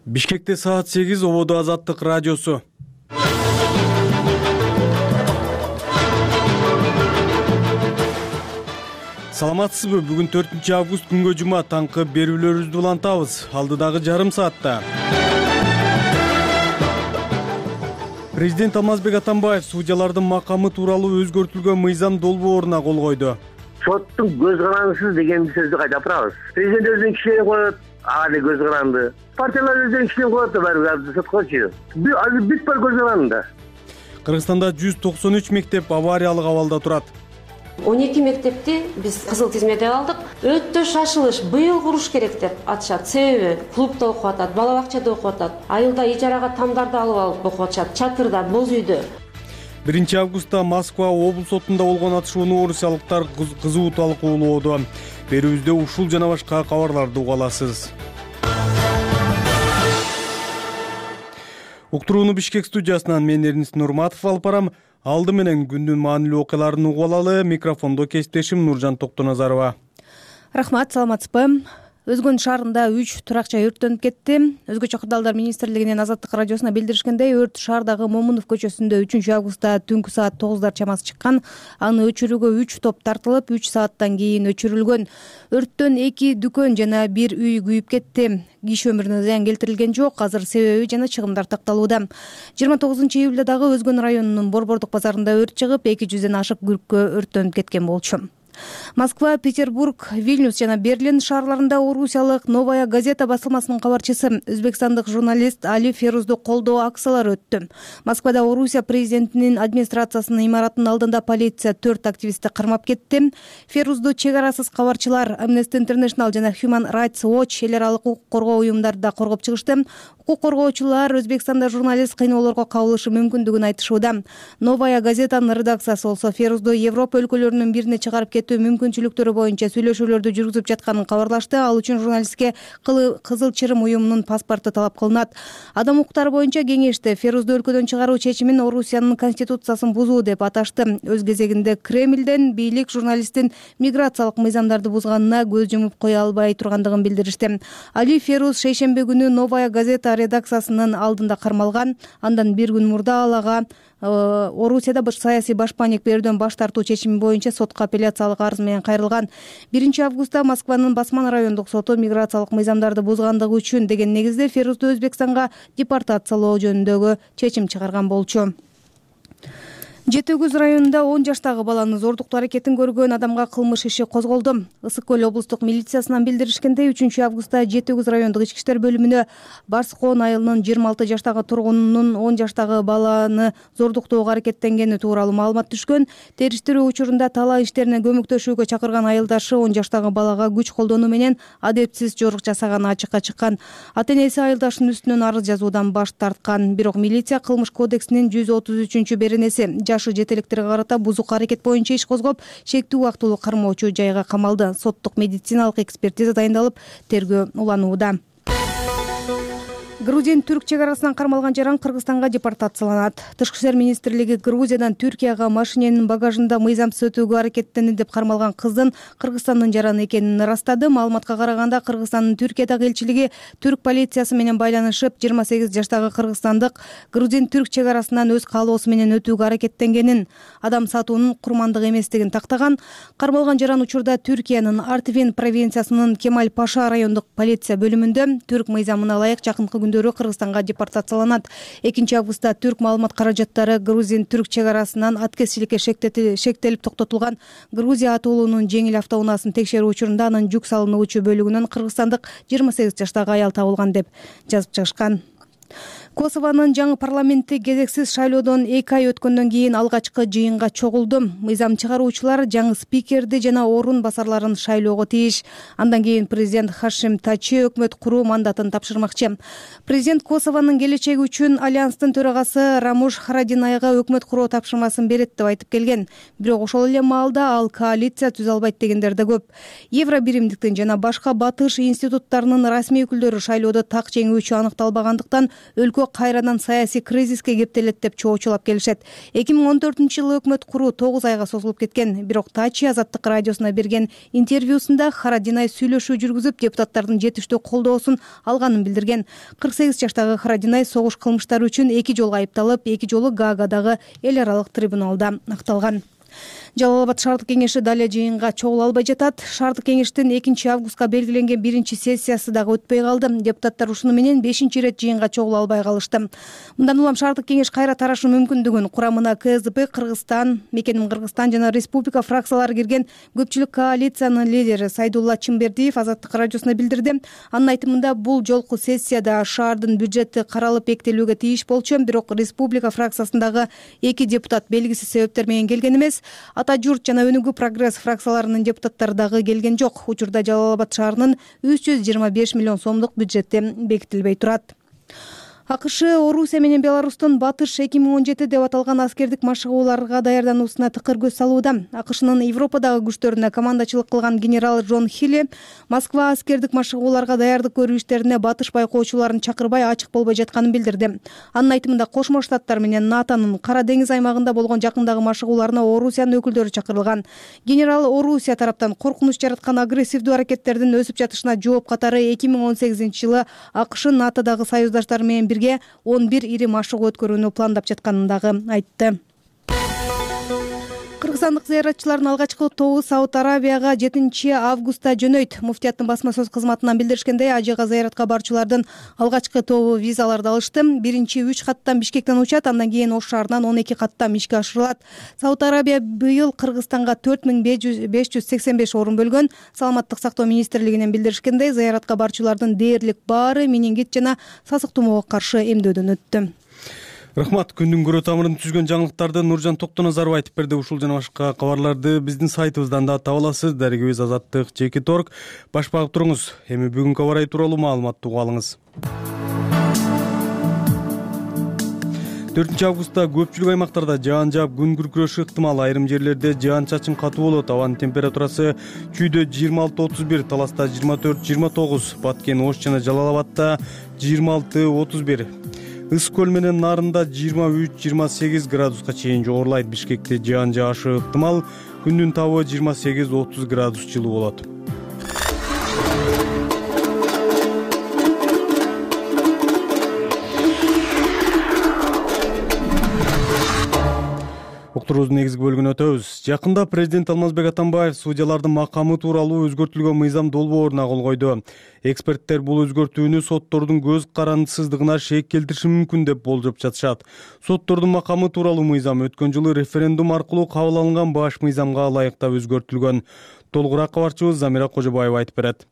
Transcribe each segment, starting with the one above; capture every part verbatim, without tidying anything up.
Бишкекте саат сегиз, Ободо Азаттык радиосу. Саламатсызбы? Бүгүн төртүнчү август күнгө жума, таңкы берүүлөрүбүздү улантабыз. Алдыдагы жарым саатта Президент Алмазбек Атамбаев судьялардын макамы тууралуу өзгөртүлгөн мыйзам долбооруна кол койду. Соттун көз карандысыз деген сөздү кайда турабыз? Президент өзүнүн кишилерин коет, ага да көз каранды. Партиялар өзүнүн кишилерин коет да баары соткочу. Азыр бүт бар көз каранды. Кыргызстанда жүз токсон үч мектеп авариялык абалда турат. он эки мектепти биз кызыл тизмеде алдык. Өтө шашылыш, быйыл куруш керек деп атышат. Себеби клубда окуп атат, бала бакчада окуп атат, айылда ижарага тамдарды алып алып окуп атышат, чатырда, боз үйдө. биринчи августта Москва облус сотунда болгон атышууну орусиялыктар кызуу талкуулоодо. Берүүбүздө ушул жана башка кабарларды уга аласыз. Уктурууну Бишкек студиясынан мен Эрнис Нурматов алып барам. Алды менен күндүн маанилүү окуяларын угуп алалы. Микрофондо кесиптешим Нуржан Токтоназарова. Рахмат, саламатсызбы? Өзгөн шаарында үч турак жай өрттөнүп кетти. Өзгөчө кырдаалдар министрлигинин Азаттык радиосуна билдиришкендей, өрт шаардагы Момунов көчөсүндө үчүнчү августта түнкү саат тогуздар чамасы чыккан. Аны өчүрүүгө үч топ тартылып, үч сааттан кийин өчүрүлгөн. Өрттөн эки дүкөн жана бир үй күйүп кетти. Киши өмүрүнө зыян келтирилген жок. Азыр себеби жана чыгымдар такталууда. жыйырма тогузунчу июлда дагы Өзгөн районунун Борбордук базарында өрт чыгып, эки жүздөн ашык күрккө өрттөнүп кеткен болчу. Москва, Петербург, Вильнюс жана Берлин шаарларында орусиялык Новая газета басылмасынын кабарчысы өзбекстандык журналист Али Ферузду колдоо акциялары өттү. Москвада Орусия президентинин администрациясынын имаратынын алдында полиция төрт активистти кармап кетти. Ферузду чек арасыз кабарчылар Amnesty International жана Human Rights Watch эл аралык укук коргоо уюмдары да коргоп чыгышты. Укук коргоочулар Өзбекстанда журналист кыйноолорго кабылышы мүмкүндүгүн айтышууда. Новая газетанын редакциясы болсо Ферузду Европа өлкөлөрүнүн бирине чыгарып кетүү мүмкүнчүлүктөрү боюнча сүйлөшүүлөрдү жүргүзүп жатканын кабарлашты. Ал үчүн журналистке Кызыл Чырым уюмунун паспорту талап кылынат. Адам укуктары боюнча кеңеште Ферузду өлкөдөн чыгаруу чечимин Орусиянын конституциясын бузуу деп аташты. Өз кезегинде Кремлден бийлик журналисттин миграциялык мыйзамдарды бузганына көз жумуп кое албай тургандыгын билдиришти. Али Феруз шейшемби күнү Новая газета редакциясынын алдында кармалган. Андан бир күн мурда ал ага Орусияда баш саясий башпаанек берүүдөн баш тартуу чечими боюнча сотко апелляциялык арыз менен кайрылган. биринчи августта Москванын Басман райондук соту миграциялык мыйзамдарды бузгандыгы үчүн деген негизде Ферузду Өзбекстанга депортациялоо жөнүндөгү чечим чыгарган болчу. Жети Өгүз районунда он жаштагы баланы зордуктоо аракетин көргөн адамга кылмыш иши козголду. Ысык көл облустук милициясынан билдиришкендей, үчүнчү августта Жети Өгүз райондук ички иштер бөлүмүнө Барскоон айылынын жыйырма алты жаштагы тургунунун он жаштагы баланы зордуктоого аракеттенгени тууралуу маалымат түшкөн. Териштирүү учурунда талаа иштерине көмөктөшүүгө чакырган айылдашы он жаштагы балага күч колдонуу менен адепсиз жорук жасаганы ачыкка чыккан. Ата энеси айылдашынын үстүнөн арыз жазуудан баш тарткан. Бирок милиция Кылмыш кодексинин жүз отуз үчүнчү беренеси жашы жетелектерге карата бузук аракет боюнча иш козгоп, чектүү убактылуу кармоочу жайга камалды. Соттук медициналык экспертиза дайындалып, тергөө уланууда. Грузин түрк чек арасынан кармалган жаран Кыргызстанга депортацияланат. Тышкы иштер министрлиги Грузиядан Түркияга машиненин багажында мыйзамсыз өтүүгө аракеттенди деп кармалган кыздын Кыргызстандын жараны экенин ырастады. Маалыматка караганда Кыргызстандын Түркиядагы элчилиги түрк полициясы менен байланышып, жыйырма сегиз жаштагы кыргызстандык грузин түрк чек арасынан өз каалоосу менен өтүүгө аракеттенгенин, адам сатуунун курмандык эместигин тактаган. Кармалган жаран учурда Түркиянын Артвин провинциясынын Кемаль Паша райондук полиция бөлүмүндө. Түрк мыйзамына ылайык жакынкы күндөрү Кыргызстанга депортацияланат. экинчи августта түрк маалымат каражаттары грузин түрк чек арасынан аткезчиликке шектелип токтотулган Грузия атуулунун жеңил автоунаасын текшерүү учурунда анын жүк салынуучу бөлүгүнөн кыргызстандык жыйырма сегиз жаштагы аял табылган деп жазып чыгышкан. Косованын жаңы парламенти кезексиз шайлоодон эки ай өткөндөн кийин алгачкы жыйынга чогулду. Мыйзам чыгаруучулар жаңы спикерди жана орун басарларын шайлоого тийиш. Андан кийин президент Хашим Тачи өкмөт куруу мандатын тапшырмакчы. Президент Косованын келечеги үчүн Альянстын төрагасы Рамуш Харадинайга өкмөт куруу тапшырмасын берет деп айтып келген. Бирок ошол эле маалда ал коалиция түзө албайт дегендер да көп. Евро биримдиктин жана башка батыш институттарынын расмий өкүлдөрү шайлоодо так жеңүүчү аныкталбагандыктан өлкө болсо кайрадан саясий кризиске кептелет деп чоочулап келишет. эки миң он төртүнчү жылы өкмөт куруу тогуз айга созулуп кеткен. Бирок Тачи Азаттык радиосуна берген интервьюсунда Харадинай сүйлөшүү жүргүзүп, депутаттардын жетиштүү колдоосун алганын билдирген. кырк сегиз жаштагы Харадинай согуш кылмыштары үчүн эки жолу айыпталып, эки жолу Гаагадагы эл аралык трибуналда акталган. Жалал Абад шаардык кеңеши дале жыйынга чогула албай жатат. Шаардык кеңештин экинчи августка белгиленген биринчи сессиясы дагы өтпөй калды. Депутаттар ушуну менен бешинчи ирет жыйынга чогула албай калышты. Мындан улам шаардык кеңеш кайра тарашы мүмкүндүгүн курамына КСДП, Кыргызстан, Мекеним Кыргызстан жана Республика фракциялары кирген көпчүлүк коалициянын лидери Сайдулла Чымбердиев Азаттык радиосуна билдирди. Анын айтымында бул жолку сессияда шаардын бюджети каралып бекитилүүгө тийиш болчу, бирок Республика фракциясындагы эки депутат белгисиз себептер менен келген эмес. Ата журт жана Өнүгүү прогресс фракцияларынын депутаттары дагы келген жок. Учурда Жалал Абад шаарынын үч жүз жыйырма беш миллион сомдук бюджети бекитилбей турат. АКШ Орусия менен Беларустун Батыш эки миң он жети деп аталган аскердик машыгууларга даярдануусуна тыкыр көз салууда. АКШнын Европадагы күчтөрүнө командачылык кылган генерал Джон Хилли Москва аскердик машыгууларга даярдык көрүү иштерине Батыш байкоочуларын чакырбай ачык болбой жатканын билдирди. Анын айтымында Кошмо Штаттар менен НАТОнун Кара деңиз аймагында болгон жакындагы машыгууларына Орусиянын өкүлдөрү чакырылган. Генерал Орусия тараптан коркунуч жараткан агрессивдүү аракеттердин өсүп жатышына жооп катары эки миң он сегизинчи жылы АКШ НАТОдагы союздаштары менен он бир ири машыгуу өткөрүүнү пландап жатканын дагы айтты. Кыргызстандык зыяратчылардын алгачкы тобу Сауд Арабияга жетинчи августта жөнөйт. Муфтияттын басма сөз кызматынан билдиришкендей, ажыга зыяратка барчулардын алгачкы тобу визаларды алышты. Биринчи үч каттан Бишкектен учат, андан кийин Ош шаарынан он эки каттан ишке ашырылат. Сауд Арабия быйыл Кыргызстанга төрт миң беш жүз сексен беш орун бөлгөн. Саламаттык сактоо министрлигинен билдиришкендей, зыяратка барчулардын дээрлик баары менингит жана сасык тумоого каршы эмдөөдөн өттү. Рахмат. Күндүн көрө тамырын түзгөн жаңылыктарды Нуржан Токтоназаров айтып берди. Ушул жана башка кабарларды биздин сайтыбыздан да таба аласыз. Дарегибиз Азаттык Жеке торг. Баш багып туруңуз. Эми бүгүнкү аба ырайы тууралуу маалыматты угуп алыңыз. төртүнчү августта көпчүлүк аймактарда жаан жаап, күн күркүрөшү ыктымал. Айрым жерлерде жаан чачын катуу болот. Абанын температурасы чүйдө жыйырма алты отуз бир, Таласта жыйырма төрт жыйырма тогуз, Баткен, Ош жана Жалал Абадта жыйырма алты отуз бир. Ыс көл менен Нарында жыйырма үч жыйырма сегиз градуска чейин жогорулайт. Бишкекте жаан жаашы ыктымал. Күндүн табы жыйырма сегиз отуз градус жылуу болот. Уктуруубуздун негизги бөлүгүнө өтөбүз. Жакында президент Алмазбек Атамбаев судьялардын макамы тууралуу өзгөртүлгөн мыйзам долбооруна кол койду. Эксперттер бул өзгөртүүнү соттордун көз карандысыздыгына шек келтириши мүмкүн деп болжоп жатышат. Соттордун макамы тууралуу мыйзам өткөн жылы референдум аркылуу кабыл алынган баш мыйзамга ылайыктап өзгөртүлгөн. Толугураак кабарчыбыз Замира Кожобаева айтып берет.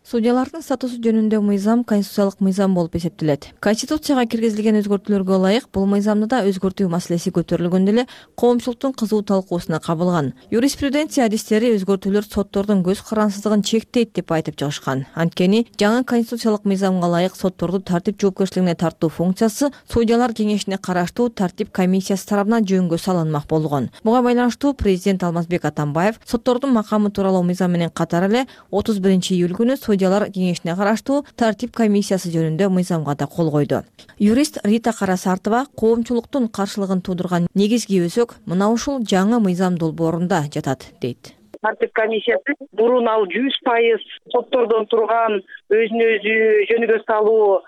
Судьялардын статусу жөнүндө мыйзам конституциялык мыйзам болуп эсептелет. Конституцияга киргизилген өзгөртүүлөргө ылайык бул мыйзамды да өзгөртүү маселеси көтөрүлгөндө эле коомчулуктун кызуу талкуусуна кабылган. Юриспруденция адистери өзгөртүүлөр соттордун көз карансыздыгын чектейт деп айтып чыгышкан. Анткени жаңы конституциялык мыйзамга ылайык сотторду тартип жоопкерчилигине тартуу функциясы судьялар кеңешине караштуу тартип комиссиясы тарабынан жөнгө салынмак болгон. Буга байланыштуу президент Алмазбек Атамбаев соттордун макамы тууралуу мыйзам менен катар эле отуз биринчи июль күнү судьялар кеңешине караштуу тартип комиссиясы жөнүндө мыйзамга да кол койду. Юрист Рита Карасартова коомчулуктун каршылыгын туудурган негизги өзөк мына ушул жаңы мыйзам долбоорунда жатат дейт. Тартип комиссиясы бурун ал жүз пайыз соттордон турган өзүн өзү жөнгө салуу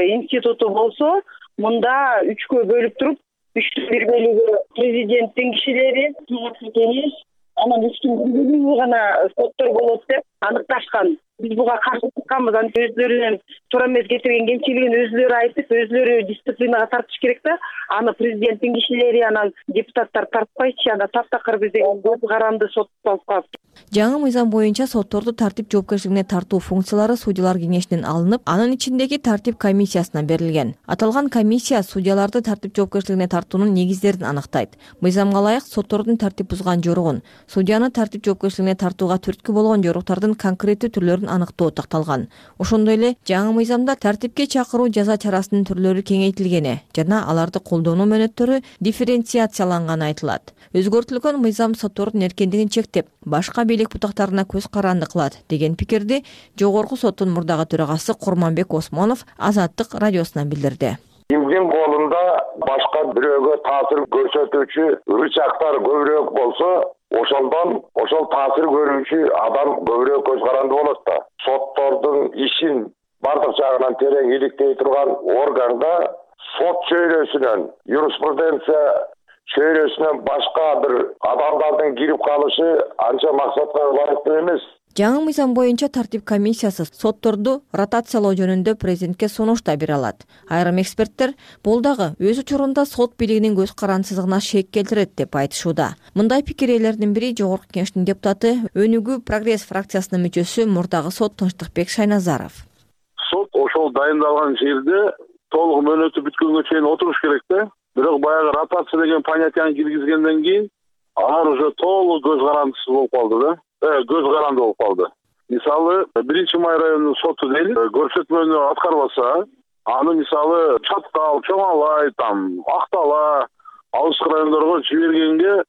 институту болсо, мында үчкө бөлүп туруп, үчтүн бир бөлүгү президенттин кишилери, кеңеш, анан үчтүн бир бөлүгү гана соттор болот деп аныкташкан. Биз буга каршы чыкканбыз. Анан өздөрүнүн туура эмес кетирген кемчилигин өзүлөрү айтып, өзүлөрү дисциплинага тартыш керек да. Аны президенттин кишилери, анан депутаттар тартпайчы, анда таптакыр бизде көз каранды сот болуп калат. Жаңы мыйзам боюнча сотторду тартип жоопкерчилигине тартуу функциялары судьялар кеңешинен алынып, анын ичиндеги тартип комиссиясына берилген. Аталган комиссия судьяларды тартип жоопкерчилигине тартуунун негиздерин аныктайт. Мыйзамга ылайык соттордун тартип бузган жоругун, судьяны тартип жоопкерчилигине тартууга түрткү болгон жоруктардын конкреттүү түрлөрүн аныктоо такталган. Ошондой эле жаңы мыйзамда тартипке чакыруу жаза чарасынын түрлөрү кеңейтилгени жана аларды колдонуу мөөнөттөрү дифференциацияланганы айтылат. Өзгөртүлгөн мыйзам соттордун эркиндигин чектеп, башка бийлик бутактарына көз каранды кылат деген пикирди Жогорку соттун мурдагы төрагасы Курманбек Осмонов Азаттык радиосуна билдирди. Эми биздин колунда башка бирөөгө таасир көрсөтүүчү рычагдар көбүрөөк болсо, ошондон ошол таасир көрүүчү адам көбүрөөк көз каранды болот да. Соттордун ишин бардык жагынан терең иликтей турган органда сот чөйрөсүнөн, юриспруденция чөйрөсүнөн башка бир адамдардын кирип калышы анча максатка ылайыктуу эмес. Жаңы мыйзам боюнча тартип комиссиясы сотторду ротациялоо жөнүндө президентке сунуш да бере алат. Айрым эксперттер бул дагы өз учурунда сот бийлигинин көз карандысыздыгына шек келтирет деп айтышууда. Мындай пикир ээлеринин бири Жогорку Кеңештин депутаты Өнүгүү Прогресс фракциясынын мүчөсү мурдагы сот Тынчтыкбек Шайназаров. Сот ошол дайындалган жерде толук мөөнөтү бүткөнгө чейин отуруш керек да. Бирок баягы ротация деген понятияны киргизгенден кийин алар уже толук көз карандысыз болуп калды да. Көз каранды болуп калды. Мисалы, биринчи май районунун соту дейли, көрсөтмөнү аткарбаса, аны мисалы Чаткал, Чоңалай, там Актала, алыскы райондорго жибергенге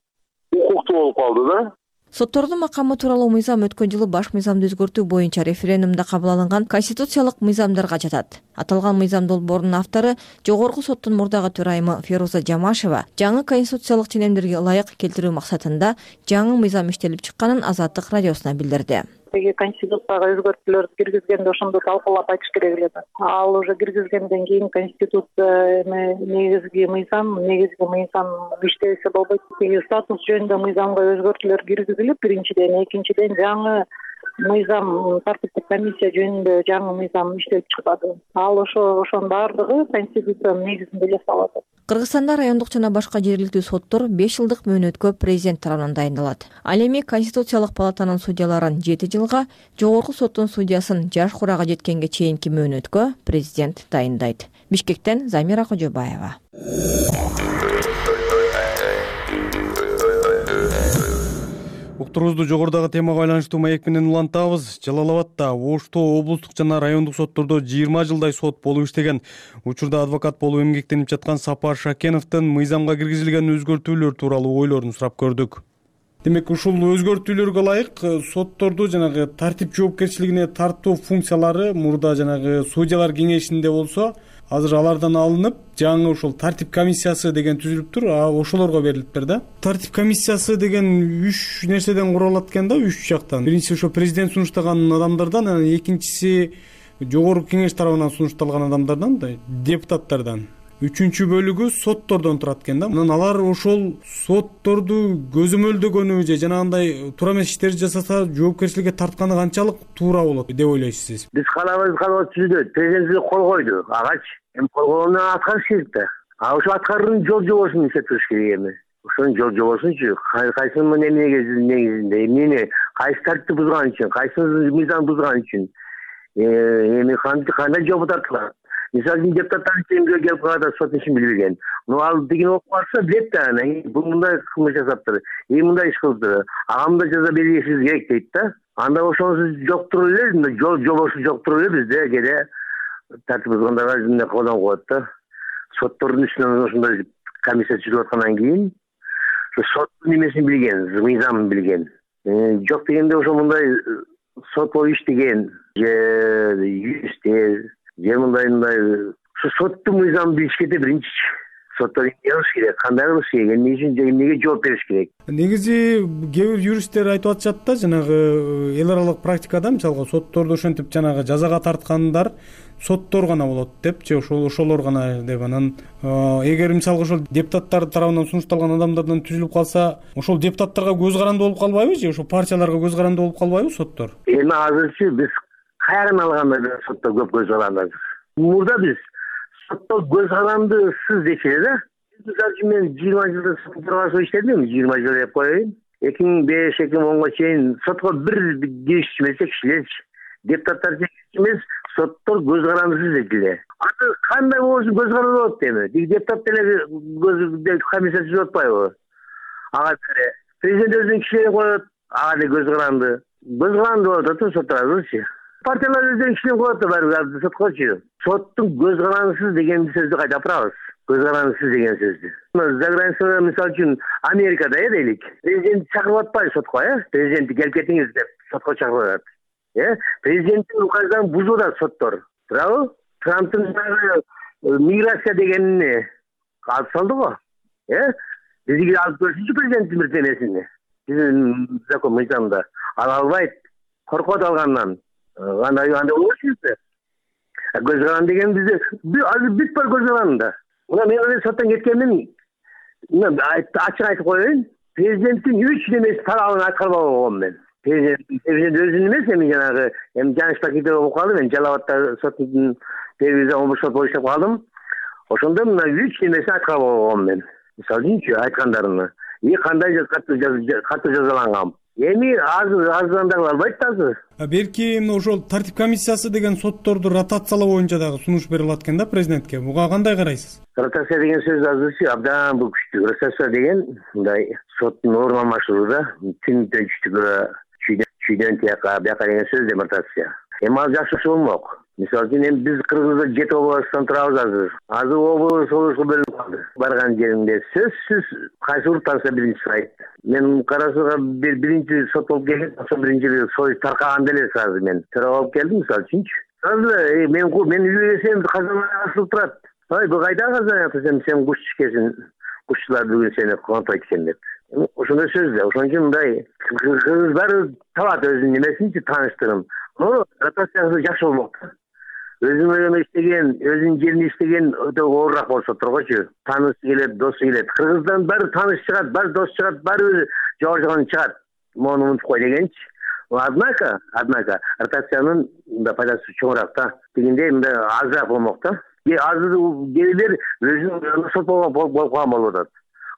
укуктуу болуп калды да. Соттордун макамы тууралуу мыйзам өткөн жылы баш мыйзамды өзгөртүү боюнча референдумда кабыл алынган конституциялык мыйзамдарга жатат. Аталган мыйзам долбоорунун автору Жогорку соттун мурдагы төрайымы Феруза Жамашева жаңы конституциялык ченемдерге ылайык келтирүү максатында жаңы мыйзам иштелип чыкканын Азаттык радиосуна билдирди. Конституцияга өзгөртүүлөр киргизгенде ошондо талкуулап айтыш керек эле. Ал уже киргизгенден кийин конституция негизги мыйзам, негизги мыйзам иштесе болбойт. Статус жөнүндө мыйзамга өзгөртүүлөр киргизилип, биринчиден, экинчиден жаңы мыйзам тартиптик комиссия жөнүндө жаңы мыйзам иштелип чыгады. Ал ошо ошонун баардыгы конституциянын негизинде эле салат. Кыргызстанда райондук жана башка жергиликтүү соттор беш жылдык мөөнөткө президент тарабынан дайындалат. Ал эми Конституциялык палатанын судьяларын жети жылга, Жогорку соттун судьясын жаш курага жеткенге чейинки мөөнөткө президент дайындайт. Бишкектен Замира Кожобаева. Уктуруубузду жогорудагы темага байланыштуу маек менен улантабыз. Жалал Абадда Оштоо облустук жана райондук соттордо жыйырма жылдай сот болуп иштеген. Учурда адвокат болуп эмгектенип жаткан Сапар Шакеновдун мыйзамга киргизилген өзгөртүүлөр тууралуу ойлорун сурап көрдүк. Демек, ушул өзгөртүүлөргө ылайык сотторду жанагы тартип жоопкерчилигине тартуу функциялары мурда жанагы судьялар кеңешинде болсо, азыр алардан алынып, жаңы ушул тартип комиссиясы деген түзүлүптүр, а ошолорго берилиптир да. Тартип комиссиясы деген үч нерседен куралат экен да, үч жактан. Биринчиси ошо президент сунуштаган адамдардан, анан экинчиси жогорку кеңеш тарабынан сунушталган адамдардан да, депутаттардан. Үчүнчү бөлүгү соттордон турат экен да. Анан алар ошол сотторду көзөмөлдөгөнү же жанагындай туура эмес иштерди жасаса жоопкерчиликке тартканы канчалык туура болот деп ойлойсуз? Биз каалабайбыз, каалабайбыз түзүлөт. Президентке кол койду. Агач эми кол койгондон аткарыш керек да. А ошо аткаруунун жол жобосун иштеп туруш керек эми. Ошонун жол жобосунчу кайсынын эмнеге негизинде, эмнени кайсы тартипти бузган үчүн, кайсы мыйзам бузган үчүн эми кандай жооп тартылат. Мисалы үчүн депутаттар чейинге келип калганда сот ишин билбеген. Ну ал деген окуп калса билет да, бул мындай кылмыш жасаптыр, эми мындай иш кылыптыр. Ага мындай жаза беришиңиз керек дейт да. Анда ошонусу жок туруп эле, жол жобосу жок туруп эле бизде кээде тартип бузгандарга эмне колдонуп коет да. Соттордун үстүнөн ошондой комиссия түзүлүп аткандан кийин соттун эмесин билген, мыйзамын билген. Жок дегенде ошо мындай сот болуп иштеген же юристтер же мындай мындай ушу соттун мыйзамын билиш керек биринчи. Соттор эмне кылыш керек, кандай кылыш керек, эмне үчүн эмнеге жооп бериш керек. Негизи кээ бир юристтер айтып атышат да, жанагы эл аралык практикада мисалга сотторду ошентип жанагы жазага тарткандар соттор гана болот деп, же ошол ошолор гана деп. Анан эгер мисалга ошол депутаттар тарабынан сунушталган адамдардан түзүлүп калса, ошол депутаттарга көз каранды болуп калбайбы, же ошол партияларга көз каранды болуп калбайбы соттор? Эми азырчы биз кайрадан алганда соттор көп көз каранды. Мурда биз соттор көз карандысыз дечи эле да. Мисалы үчүн мен жыйырма жылда сотторго иштедим, жыйырма жыл деп коеюн. эки миң беш эки миң онго чейин сотко бир киришчи эмес, кишилерчи. Депутаттар эмес, соттор көз карандысыз дедиле. Аны кандай болсун көз каранды болот эми. Депутат деле көз комиссия түзүп атпайбы? Ага президент өзүнүн кишилерин коет, ага деле көз каранды. Көз каранды болот да сотторчу. Партиялар өздөрүнүн кишилерин коет да баары соткочу. Соттун көз карандысыз деген сөздү кайда апарабыз? Көз карандысыз деген сөздү. За границада мисалы үчүн Америкада э дейлик. Президент чакырып атпайбы сотко, э? Президентти келип кетиңиз деп сотко чакырып атат. Э? Президенттин указдарын бузуп атат соттор. Туурабы? Трамптын миграция дегенни алып салды го. Э? Бизге алып көрсүнчү президенттин бир денесини. Биздин закон мыйзамда ала албайт. Коркот алгандан. Андай андай болчу. Көз каран деген бизде азыр бүт бар көз каранында. Мына мен өзүм соттон кеткенмин. Мына ачык айтып коеюн. Президенттин үч немеси талабын аткарбай койгом мен. Президент өзүнүн эмес, эми жанагы эми жанышта кетип болуп калдым. Мен Жалал Абадта соттун телевизия омбудсман болуп иштеп калдым. Ошондо мына үч немесин аткарбай койгом мен. Мисалы үчүнчү айткандарымны. И кандай катты жазаланган. Эми азыр азырдагы албайт да азыр. Берки ошол тартип комиссиясы деген сотторду ротациялоо боюнча дагы сунуш берип аткан да президентке. Буга кандай карайсыз? Ротация деген сөз азырчы абдан бул күчтүү. Ротация деген мындай соттун орун алмашууда түн күчтүгө чүйдөн тияка бияка деген сөз да ротация. Эми ал жакшы болмок. Мисалы үчүн эми биз Кыргызда жети областтан турабыз азыр. Азыр облус облуско бөлүнүп калды. Барган жеримде сөзсүз кайсы уруттанса биринчи сайт. Мен Карасууга бир биринчи сот болуп келдим. Ошо биринчи сот таркаганда эле сразу мен төрөп алып келдим, мисалы үчүнчү. Азыр мен мен үйгө келсем казан асылып турат. Ой, бу кайда казан атсам сен куш чикесин, кушчулар бүгүн сени контойт экен деп. Ошондой сөз да. Ошон үчүн мындай кыргыздар табат өзүнүн немесинчи тааныштырым. Но ротациясы жакшы болмок. Өзүнүн ойуна иштеген, өзүнүн жерине иштеген өтө оорураак болсо тургучу. Таанышы келет, досу келет. Кыргыздан баары тааныш чыгат, баары дос чыгат, баары жогоржогон чыгат. Мону унутуп кой дегенчи. Однако, однако ротациянын да пайдасы чоңураак да. Дегенде мындай азыраак болмок да. Азыр келер өзүнүн сот болуп калган болуп атат.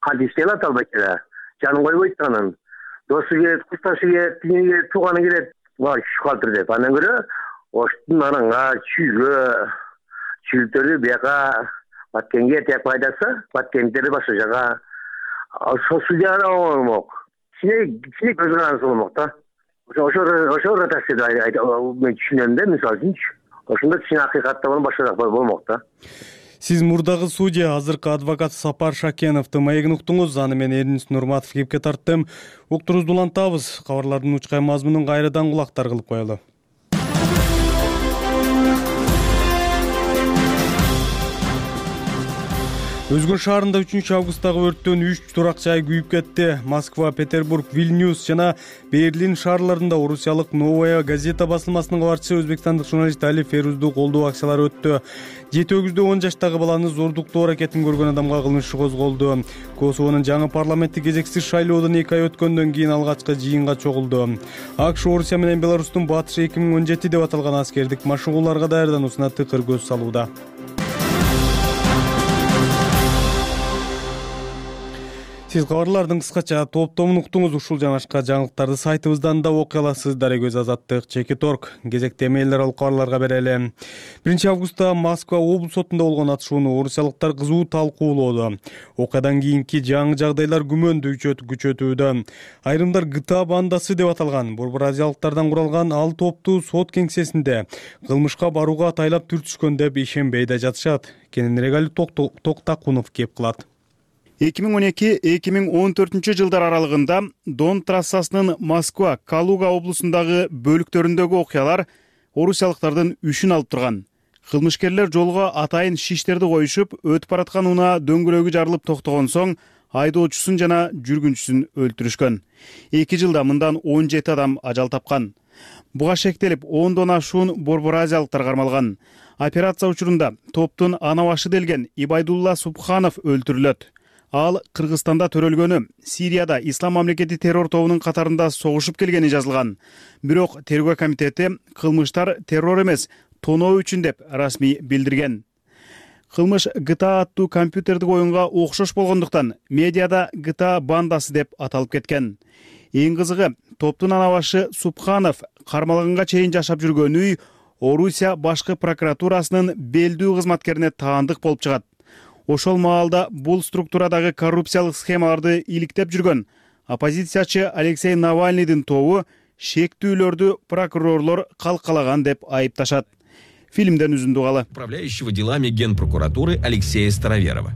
Кантип иштей алат албайт эле. Жанын койбойт анын. Досу келет, курсташы келет, тигини келет, тууганы келет. Ва шкалтыр деп. Андан көрө оштун ананга чүйгө чүлтөрү бияка Баткенге тияк пайдасы, Баткендери башка жага судьяга болмок. Кичине кичине көз карансы болмок да. Ошо ошо ротацияда мен түшүнөм да, мисалы үчүнчү. Ошондо кичине акыйкатта башкараак болмок да. Сиз мурдагы судья, азыркы адвокат Сапар Шакеновдун маегин уктуңуз. Аны мен Эрнис Нурматов кепке тарттым. Уктуруубузду улантабыз. Кабарлардын учкай мазмунун кайрадан кулактар кылып коелу. Өзгөн шаарында үчүнчү августтагы өрттөн үч турак жай күйүп кетти. Москва, Петербург, Вильнюс жана Берлин шаарларында орусиялык Новая газета басылмасынын кабарчысы өзбекстандык журналист Али Ферузду колдоо акциялары өттү. жети өгүздө он жаштагы баланы зордуктоо аракетин көргөн адамга кылмыш иши козголду. Косовонун жаңы парламенттик кезексиз шайлоодон эки ай өткөндөн кийин алгачкы жыйынга чогулду. АКШ Орусия менен Беларустун батышы эки миң он жети деп аталган аскердик машыгууларга даярдануусуна тыкыр көз салууда. Сиз кабарлардын кыскача топтомун уктуңуз. Ушул жана башка жаңылыктарды сайтыбыздан да окуй аласыз. Дарегөз Азаттык, Чекиторг. Кезекте эмейлдер алып кабарларга берели. биринчи августта Москва облус сотунда болгон атышууну орусиялыктар кызуу талкуулоодо. Окуядан кийинки жаңы жагдайлар күмөндү күчөтүүдө. Айрымдар ГТА бандасы деп аталган борбор азиялыктардан куралган ал топту сот кеңсесинде кылмышка барууга атайлап түртүшкөн деп ишенбей да жатышат. Кененирээк Али Токтакунов кеп кылат. эки миң он эки — эки миң он төртүнчү жылдар аралыгында Дон трассасынын Москва, Калуга облусундагы бөлүктөрүндөгү окуялар орусиялыктардын үшүн алып турган. Кылмышкерлер жолго атайын шиштерди коюшуп, өтүп бараткан унаа дөңгөлөгү жарылып токтогон соң айдоочусун жана жүргүнчүсүн өлтүрүшкөн. эки жылда мындан он жети адам ажал тапкан. Буга шектелип ондон ашуун борбор азиялыктар кармалган. Операция учурунда топтун ана башы делген Ибайдулла Субханов өлтүрүлөт. Ал Кыргызстанда төрөлгөнү, Сирияда Ислам мамлекети террор тобунун катарында согушуп келгени жазылган. Бирок тергөө комитети кылмыштар террор эмес, тоноо үчүн деп расмий билдирген. Кылмыш ГТА аттуу компьютердик оюнга окшош болгондуктан медиада ГТА бандасы деп аталып кеткен. Эң кызыгы, топтун ана башы Субханов кармалганга чейин жашап жүргөн үй Орусия башкы прокуратурасынын белдүү кызматкерине таандык болуп чыгат. Ошол маалда бул структурадагы коррупциялык схемаларды иликтеп жүргөн оппозициячы Алексей Навальныйдын тобу шектүүлөрдү прокурорлор калкалаган деп айыпташат. Фильмден үзүндү калы. Управляющего делами Генпрокуратуры Алексея Староверова.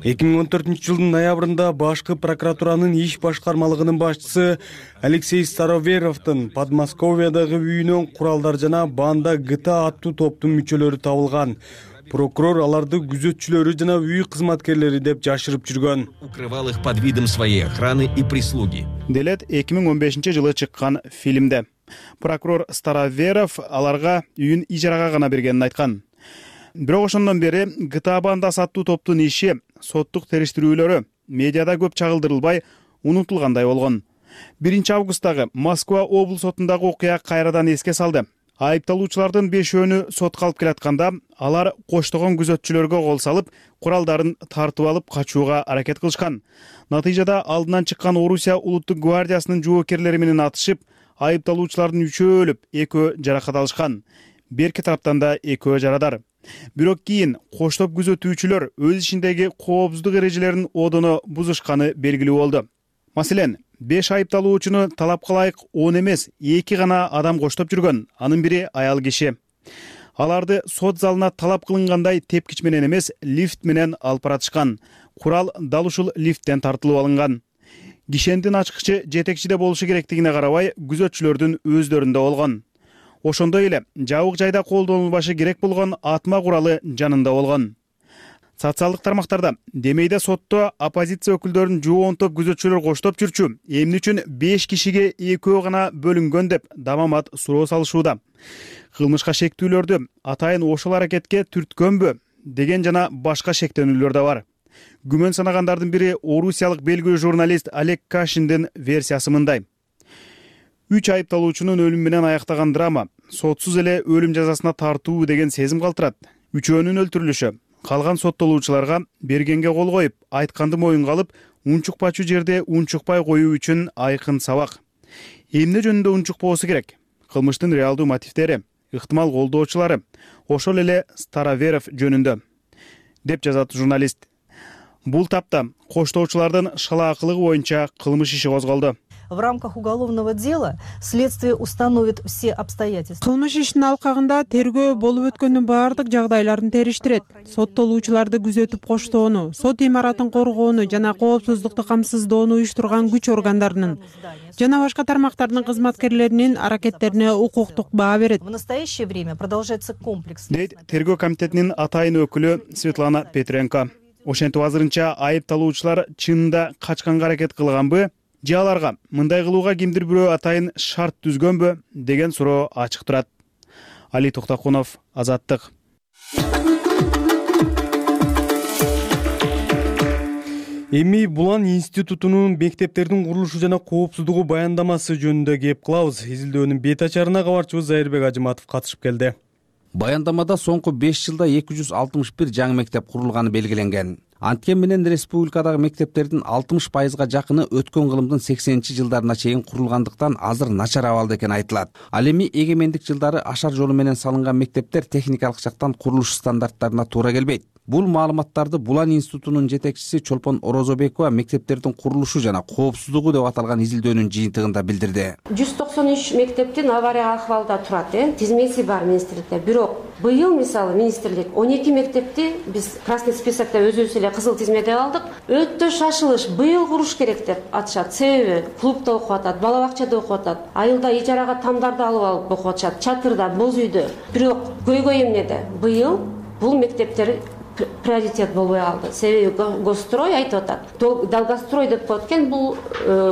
эки миң он төртүнчү жылдын ноябрында башкы прокуратуранын иш башкармалыгынын башчысы Алексей Староверовдун Подмосковьядагы үйүнөн куралдар жана банда ГТА аттуу топтун мүчөлөрү табылган. Прокурор аларды күзөтчүлөрү жана үй кызматкерлери деп жашырып жүргөн. Укрывал их под видом своей охраны и прислуги. Делет эки миң он бешинчи жылы чыккан фильмде. Прокурор Староверов аларга үйүн ижарага гана бергенин айткан. Бирок ошондон бери ГТА бандасы аттуу топтун иши, соттук териштирүүлөрү медиада көп чагылдырылбай, унутулгандай болгон. биринчи августтагы Москва облус сотундагы окуя кайрадан эске салды. Айыпталуучулардын бешөөнү сотко алып келатканда, алар коштогон күзөтчүлөргө кол салып, куралдарын тартып алып качууга аракет кылышкан. Натыйжада алдынан чыккан Орусия улуттук гвардиясынын жоокерлери менен атышып, айыпталуучулардын үчөө өлүп, экөө жаракат алышкан. Берки тараптан да экөө жарадар. Бирок кийин коштоп күзөтүүчүлөр өз ишиндеги коопсуздук эрежелерин одоно бузушканы белгилүү болду. Маселен, беш айыпталуучуну талапка ылайык он эмес, эки гана адам коштоп жүргөн, анын бири аял киши. Аларды сот залына талап кылынгандай тепкич менен эмес, лифт менен алып баратышкан. Курал дал ушул лифттен тартылып алынган. Кишендин ачкычы жетекчиде болушу керектигине карабай, күзөтчүлөрдүн өздөрүндө болгон. Ошондой эле жабык жайда колдонулбашы керек болгон атма куралы жанында болгон. Социалдык тармактарда демейде сотто оппозиция өкүлдөрүн жоон топ күзөтчүлөр коштоп жүрчү, эмне үчүн беш кишиге экөө гана бөлүнгөн деп дамамат суроо салышууда. Кылмышка шектүүлөрдү атайын ошол аракетке түрткөнбү деген жана башка шектенүүлөр да бар. Күмөн санагандардын бири орусиялык белгилүү журналист Олег Кашиндин версиясы мындай. Үч айыпталуучунун өлүмү менен аяктаган драма сотсуз эле өлүм жазасына тартуу деген сезим калтырат. Үчөөнүн өлтүрүлүшү калган соттолуучуларга бергенге кол коюп, айтканды моюнга алып, унчукпачу жерде унчукпай коюу үчүн айкын сабак. Эмне жөнүндө унчукпоосу керек? Кылмыштын реалдуу мотивдери, ыктымал колдоочулары ошол эле Староверов жөнүндө, деп жазат журналист. Бул тапта коштоочулардын шалаакылыгы боюнча кылмыш иши козголду. В рамках уголовного дела следствие установит все обстоятельства. Кылмыш ишинин алкагында тергөө болуп өткөндүн баардык жагдайларын териштирет. Соттолуучуларды күзөтүп коштоону, сот имаратын коргоону жана коопсуздукту камсыздоону уюштурган күч органдарынын жана башка тармактардын кызматкерлеринин аракеттерине укуктук баа берет. В настоящее время продолжается комплекс. Дейт тергөө комитетинин атайын өкүлү Светлана Петренко. Ошентип азырынча айыпталуучулар чынында качканга аракет кылганбы? Же аларга мындай кылууга кимдир бирөө атайын шарт түзгөнбү деген суроо ачык турат. Али Токтокунов, Азаттык. Эми Булан институтунун мектептердин курулушу жана коопсуздугу баяндамасы жөнүндө кеп кылабыз. Изилдөөнүн бет ачарына кабарчыбыз Зайырбек Ажыматов катышып келди. Баяндамада соңку беш жылда эки жүз алтымыш бир жаңы мектеп курулганы белгиленген. Анткен менен республикадагы мектептердин алтымыш пайызга жакыны өткөн кылымдын сексенинчи жылдарына чейин курулгандыктан азыр начар абалда экени айтылат. Ал эми эгемендик жылдары ашар жолу менен салынган мектептер техникалык жактан курулуш стандарттарына туура келбейт. Бул маалыматтарды Булан институтунун жетекчиси Чолпон Орозобекова мектептердин курулушу жана коопсуздугу деп аталган изилдөөнүн жыйынтыгында билдирди. жүз токсон үч мектептин авария акыбалда турат, э, тизмеси бар министрликте. Бирок быйыл мисалы министрлик он эки мектепти биз красный списокто өзүбүз эле кызыл тизмеде алдык. Өтө шашылыш быйыл куруш керек деп атышат. Себеби клубда окуп атат, бала бакчада окуп атат, айылда ижарага тамдарды алып алып окуп атышат, чатырда, боз үйдө. Бирок көйгөй эмнеде? Быйыл бул мектептер приоритет болбой калды. Себеби Госстрой айтып атат. Долгострой деп коет экен, бул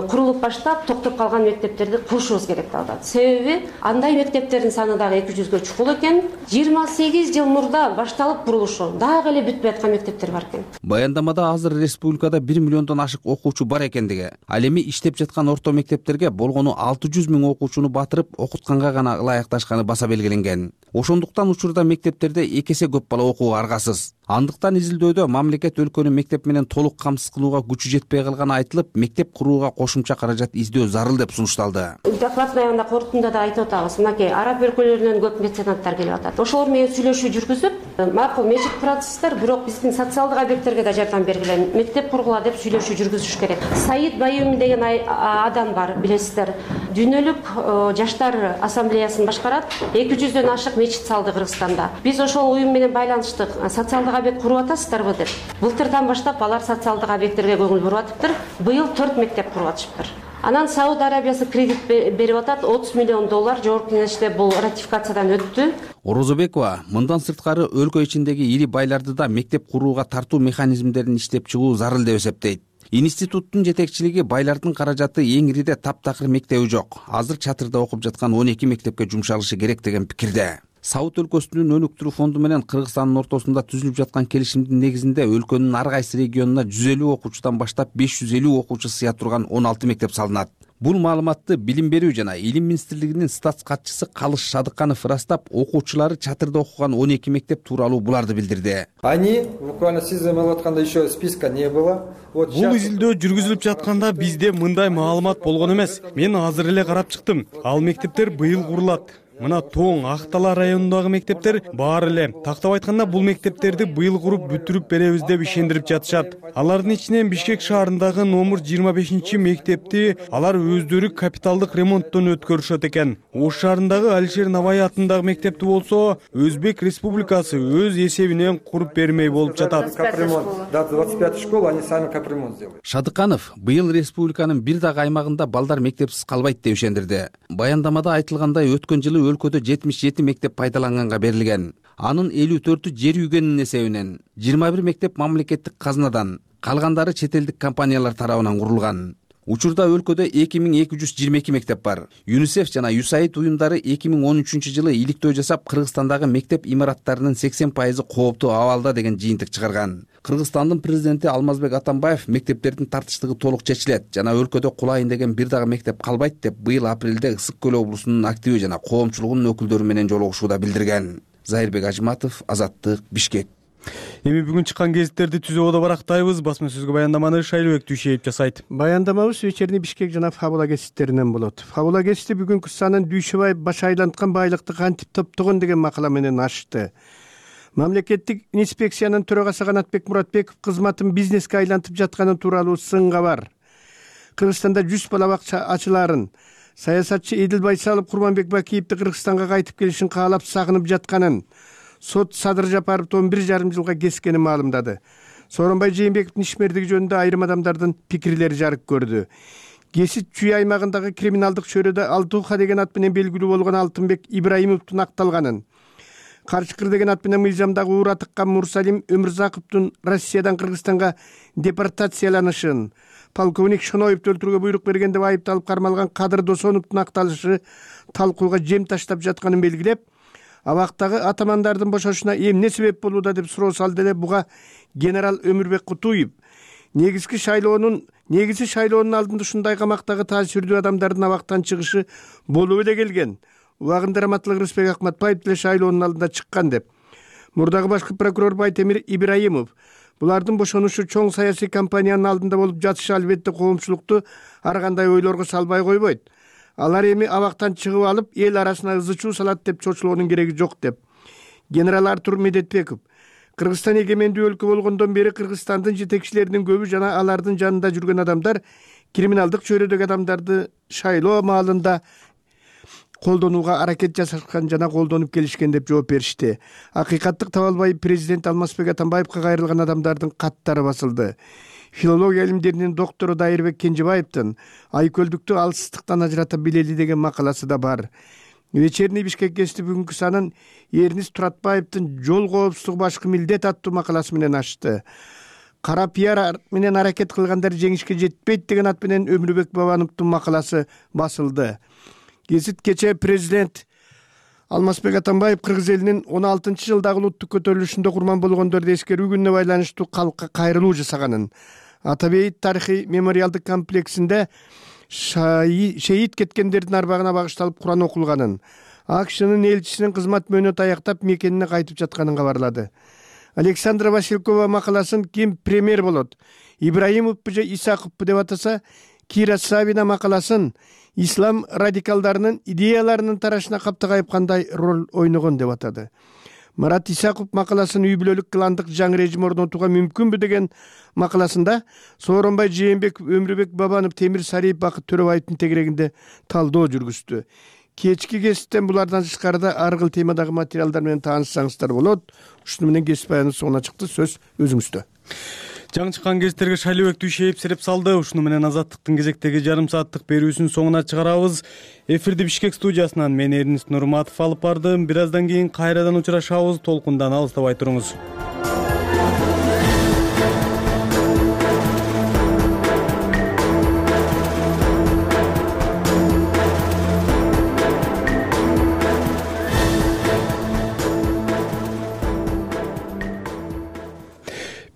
курулуп баштап токтоп калган мектептерди курушубуз керек деп атат. Себеби андай мектептердин саны дагы эки жүзгө чукул экен. жыйырма сегиз жыл мурда башталып курулушу, дагы эле бүтпөй аткан мектептер бар экен. Баяндамада азыр республикада бир миллиондон ашык окуучу бар экендиги, ал эми иштеп жаткан орто мектептерге болгону алты жүз миң окуучуну батырып, окутканга гана ылайыкташканы баса белгиленген. Ошондуктан учурда мектептерде эки эсе көп бала окууга аргасыз. Андыктан изилдөөдө мамлекет өлкөнү мектеп менен толук камсыз кылууга күчү жетпей калганы айтылып, мектеп курууга кошумча каражат издөө зарыл деп сунушталды. Докладдын аягында корутунда да айтып атабыз, мынакей араб өлкөлөрүнөн көп меценаттар келип атат. Ошолор менен сүйлөшүү жүргүзүп, макул мечит курасыздар, бирок биздин социалдык объекттерге да жардам бергиле, мектеп кургула деп сүйлөшүү жүргүзүш керек. Саид Байюми деген адам бар, билесиздер. Дүйнөлүк жаштар ассамблеясын башкарат. эки жүздөн ашык мечит салды Кыргызстанда. Биз ошол уюм менен байланыштык. Социалдык объект куруп атасыздарбы деп. Былтырдан баштап алар социалдык объекттерге көңүл буруп атыптыр. Быйыл төрт мектеп куруп атышыптыр. Анан Сауд Арабиясы кредит берип атат, отуз миллион доллар жогорку кеңеште бул ратификациядан өттү. Орозобекова мындан сырткары өлкө ичиндеги ири байларды да мектеп курууга тартуу механизмдерин иштеп чыгуу зарыл деп эсептейт. Институттун жетекчилиги байлардын каражаты эң ириде таптакыр мектеби жок. Азыр чатырда окуп жаткан он эки мектепке жумшалышы керек деген пикирде. Сауд өлкөсүнүн өнүктүрүү фонду менен Кыргызстандын ортосунда түзүлүп жаткан келишимдин негизинде өлкөнүн ар кайсы регионуна жүз элүү окуучудан баштап беш жүз элүү окуучу сыя турган он алты мектеп салынат. Бул маалыматты Билим берүү жана Илим министрлигинин статс катчысы Калыш Шадыканов ырастап, окуучулары чатырда окуган он эки мектеп тууралуу буларды билдирди. Они буквально сиз замалып атканда еще списка не было. Бул изилдөө жүргүзүлүп жатканда бизде мындай маалымат болгон эмес. Мен азыр эле карап чыктым. Ал мектептер быйыл курулат. Мына Тоң, Актала районундагы мектептер баары эле. Тактап айтканда бул мектептерди быйыл куруп бүтүрүп беребиз деп ишендирип жатышат. Алардын ичинен Бишкек шаарындагы номер жыйырма бешинчи мектепти алар өздөрү капиталдык ремонттон өткөрүшөт экен. Ош шаарындагы Алишер Навай атындагы мектепти болсо Өзбек Республикасы өз эсебинен куруп бермей болуп жатат. Да, двадцать пятая школа, они сами капремонт сделали. Шадыканов быйыл республиканын бир дагы аймагында балдар мектепсиз калбайт деп ишендирди. Баяндамада айтылгандай, өткөн жылы өлкөдө жетимиш жети мектеп пайдаланганга берилген. Анын элүү төртү жер үйгөнүнүн эсебинен, жыйырма бир мектеп мамлекеттик казынадан, калгандары чет элдик компаниялар тарабынан курулган. Учурда өлкөдө эки миң эки жүз жыйырма эки мектеп бар. ЮНИСЕФ жана ЮСАИД уюмдары эки миң он үчүнчү жылы иликтөө жасап, Кыргызстандагы мектеп имараттарынын сексен пайызы кооптуу абалда деген жыйынтык чыгарган. Кыргызстандын президенти Алмазбек Атамбаев мектептердин тартыштыгы толук чечилет жана өлкөдө кулайын деген бир дагы мектеп калбайт деп быйыл апрелде Ысык көл облусунун активи жана коомчулугунун өкүлдөрү менен жолугушууда билдирген. Зайырбек Ажыматов, Азаттык, Бишкек. Эми бүгүн чыккан гезиттерди түзүүгө барактайбыз. Басма сөзгө баяндаманы Шайлыбек Дүйшеев жасайт. Баяндамабыз вечерний Бишкек жана Фабула гезиттеринен болот. Фабула гезити бүгүнкү санын Дүйшөбаев баш айланткан байлыкты кантип топтогон деген макала менен ачты. Мамлекеттик инспекциянын төрагасы Канатбек Муратбеков кызматын бизнеске айлантып жатканы тууралуу сынга бар. Кыргызстанда жүз балабакча ачыларын, саясатчы Эдил Байсалов Курманбек Бакиевди Кыргызстанга кайтып келишин каалап сагынып жатканын, сот Садыр Жапаровду он бир жарым жылга кескенин маалымдады. Сооронбай Жээнбековдун ишмердиги жөнүндө айрым адамдардын пикирлери жарык көрдү. Кесит Чүй аймагындагы криминалдык чөйрөдө Алтууха деген ат менен белгилүү болгон Алтынбек Ибраимовдун акталганын, Карчыкыр деген ат менен мыйзамдагы уура тыккан Мурсалим Өмүрзаковдун Россиядан Кыргызстанга депортацияланышын, полковник Шоноевду өлтүрүүгө буйрук берген деп айыпталып кармалган Кадыр Досоновдун акталышы талкууга жем таштап жатканын белгилеп, абактагы атамандардын бошошуна эмне себеп болууда деп суроо салды эле буга генерал Өмүрбек Кутуев негизги шайлоонун негизи шайлоонун алдында ушундай камактагы таасирдүү адамдардын абактан чыгышы болуп эле келген. Убагында Раматылык Рысбек Акматбаев деле шайлоонун алдында чыккан деп. Мурдагы башкы прокурор Байтемир Ибраимов булардын бошонушу чоң саясий кампаниянын алдында болуп жатышы албетте коомчулукту ар кандай ойлорго салбай койбойт. Алар эми абактан чыгып алып, эл арасына ызы чуу салат деп чочулоонун кереги жок деп. Генерал Артур Медетбеков Кыргызстан эгемендүү өлкө болгондон бери Кыргызстандын жетекчилеринин көбү жана алардын жанында жүргөн адамдар криминалдык чөйрөдөгү адамдарды шайлоо маалында колдонууга аракет жасашкан жана колдонуп келишкен деп жооп беришти. Акыйкаттык таба албай президент Алмазбек Атамбаевка кайрылган адамдардын каттары басылды. Филология илимдеринин доктору Дайырбек Кенжебаевдин айкөлдүктү алсыздыктан ажырата билели деген макаласы да бар. Вечерний Бишкек гезити бүгүнкү санын Эрнис Туратбаевдин жол коопсуздугу башкы милдет аттуу макаласы менен ачты. Кара пиар менен аракет кылгандар жеңишке жетпейт деген ат менен Өмүрбек Бабановдун макаласы басылды. Гезит кечээ президент Алмазбек Атамбаев кыргыз элинин он алтынчы жылдагы улуттук көтөрүлүшүндө курман болгондорду эскерүү күнүнө байланыштуу калкка кайрылуу жасаганын, Атабейит тарыхый мемориалдык комплексинде шейит кеткендердин арбагына багышталып Куран окулганын, АКШнын элчисинин кызмат мөөнөтү аяктап мекенине кайтып жатканын кабарлады. Александра Василькова макаласын ким премьер болот, Ибраимовпу же Исаковпу деп атаса, Кира Савина макаласын ислам радикалдарынын идеяларынын тарашына каптагайып кандай роль ойногон деп атады. Марат Исаков макаласын үй бүлөлүк кландык жаңы режим орнотууга мүмкүнбү деген макаласында Сооронбай Жээнбеков, Өмүрбек Бабанов, Темир Сариев, Бакыт Төрөбаевдин тегерегинде талдоо жүргүздү. кечки кесиптен булардан тышкарыда ар кыл темадагы материалдар менен таанышсаңыздар болот. Ушуну менен кесип аянын соңуна чыкты. Сөз өзүңүздө. Жаңы чыккан кесиптерге Шайлообек Дүйшеев сереп салды. Ушуну менен Азаттыктын кезектеги жарым сааттык берүүсүнүн соңуна чыгарабыз. Эфирди Бишкек студиясынан мен Эрнис Нурматов алып бардым. Бир аздан кийин кайрадан учурашабыз. Толкундан алыстабай туруңуз.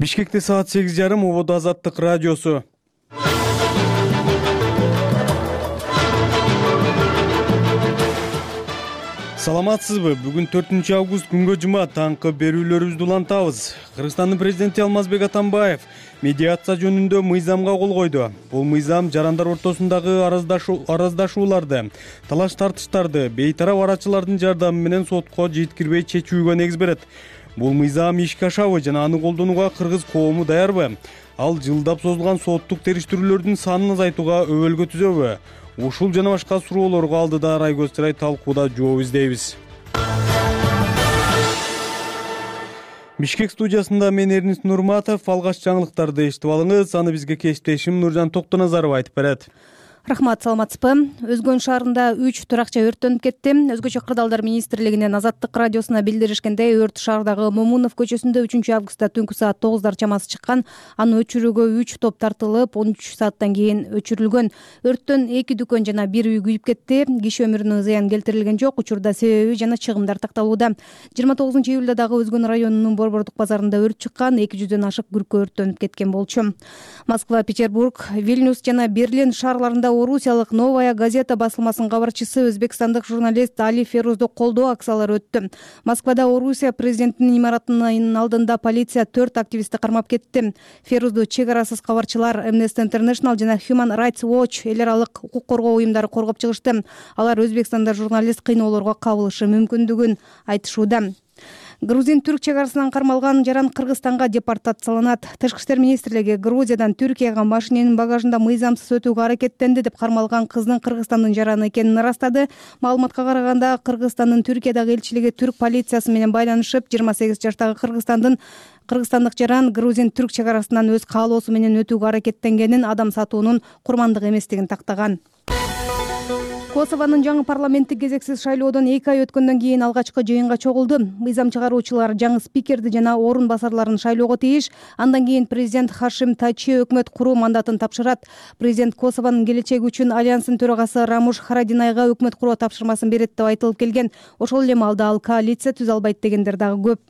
Бишкекте саат сегиз жарым, Ободо Азаттык радиосу. Саламатсызбы? Бүгүн төртүнчү август күнгө жума таңкы берүүлөрүбүздү улантабыз. Кыргызстандын президенти Алмазбек Атамбаев медиация жөнүндө мыйзамга кол койду. Бул мыйзам жарандар ортосундагы араздашууларды, талаш тартыштарды бейтарап арачылардын жардамы менен сотко жеткирбей чечүүгө негиз берет. Бул мыйзам ишке ашабы жана аны колдонууга кыргыз коому даярбы? Ал жылдап созулган соттук териштирүүлөрдүн санын азайтууга өбөлгө түзөбү? Ушул жана башка суроолорго алдыда Райгөз Чырай талкууда жооп издейбиз. Бишкек студиясында мен Эрнис Нурматов. Алгач жаңылыктарды эшитип алыңыз. Аны бизге кесиптешим Нуржан Токтоназаров айтып берет. Рахмат, саламатсызбы? Өзгөн шаарында үч туракча өрттөнүп кетти. Өзгөчө кырдаалдар министрлигинин Азаттык радиосуна билдиришкендей, өрт шаардагы Момунов көчөсүндө үчүнчү августта түнкү саат тогуздар чамасы чыккан. Аны өчүрүүгө үч топ тартылып, он үч сааттан кийин өчүрүлгөн. Өрттөн эки дүкөн жана бир үй күйүп кетти. Киши өмүрүнө зыян келтирилген жок. Учурда себеби жана чыгымдар такталууда. жыйырма тогузунчу июлда дагы Өзгөн районунун Борбордук базарында өрт чыккан. эки жүздөн ашык күркө өрттөнүп кеткен болчу. Москва, Петербург, Вильнюс жана Берлин шаарларында орусиялык Новая газета басылмасынын кабарчысы өзбекстандык журналист Али Ферузду колдоо акциялары өттү. Москвада Орусия президентинин имаратынын алдында полиция төрт активистти кармап кетти. Ферузду чек арасыз кабарчылар Amnesty International жана Human Rights Watch эл аралык укук коргоо уюмдары коргоп чыгышты. Алар Өзбекстанда журналист кыйноолорго кабылышы мүмкүндүгүн айтышууда. Грузин-түрк чек арасынан кармалган жаран Кыргызстанга депортацияланат. Тышкы иштер министрлиги Грузиядан Түркияга машиненин багажында мыйзамсыз өтүүгө аракеттенди деп кармалган кыздын Кыргызстандын жараны экенин ырастады. Маалыматка караганда, Кыргызстандын Түркиядагы элчилиги түрк полициясы менен байланышып, жыйырма сегиз жаштагы Кыргызстандын Кыргызстандык жаран грузин-түрк чек арасынан өз каалоосу менен өтүүгө аракеттенгенин, адам сатуунун курмандык эместигин тактаган. Косованын жаңы парламенттик кезексиз шайлоодон эки ай өткөндөн кийин алгачкы жыйынга чогулду. Мыйзам чыгаруучулар жаңы спикерди жана орун басарларын шайлоого тийиш. Андан кийин президент Хашим Тачи өкмөт куруу мандатын тапшырат. Президент Косованын келечеги үчүн альянстын төрагасы Рамуш Харадинайга өкмөт куруу тапшырмасын берет деп айтылып келген. Ошол эле маалда ал коалиция түзө албайт дегендер дагы көп.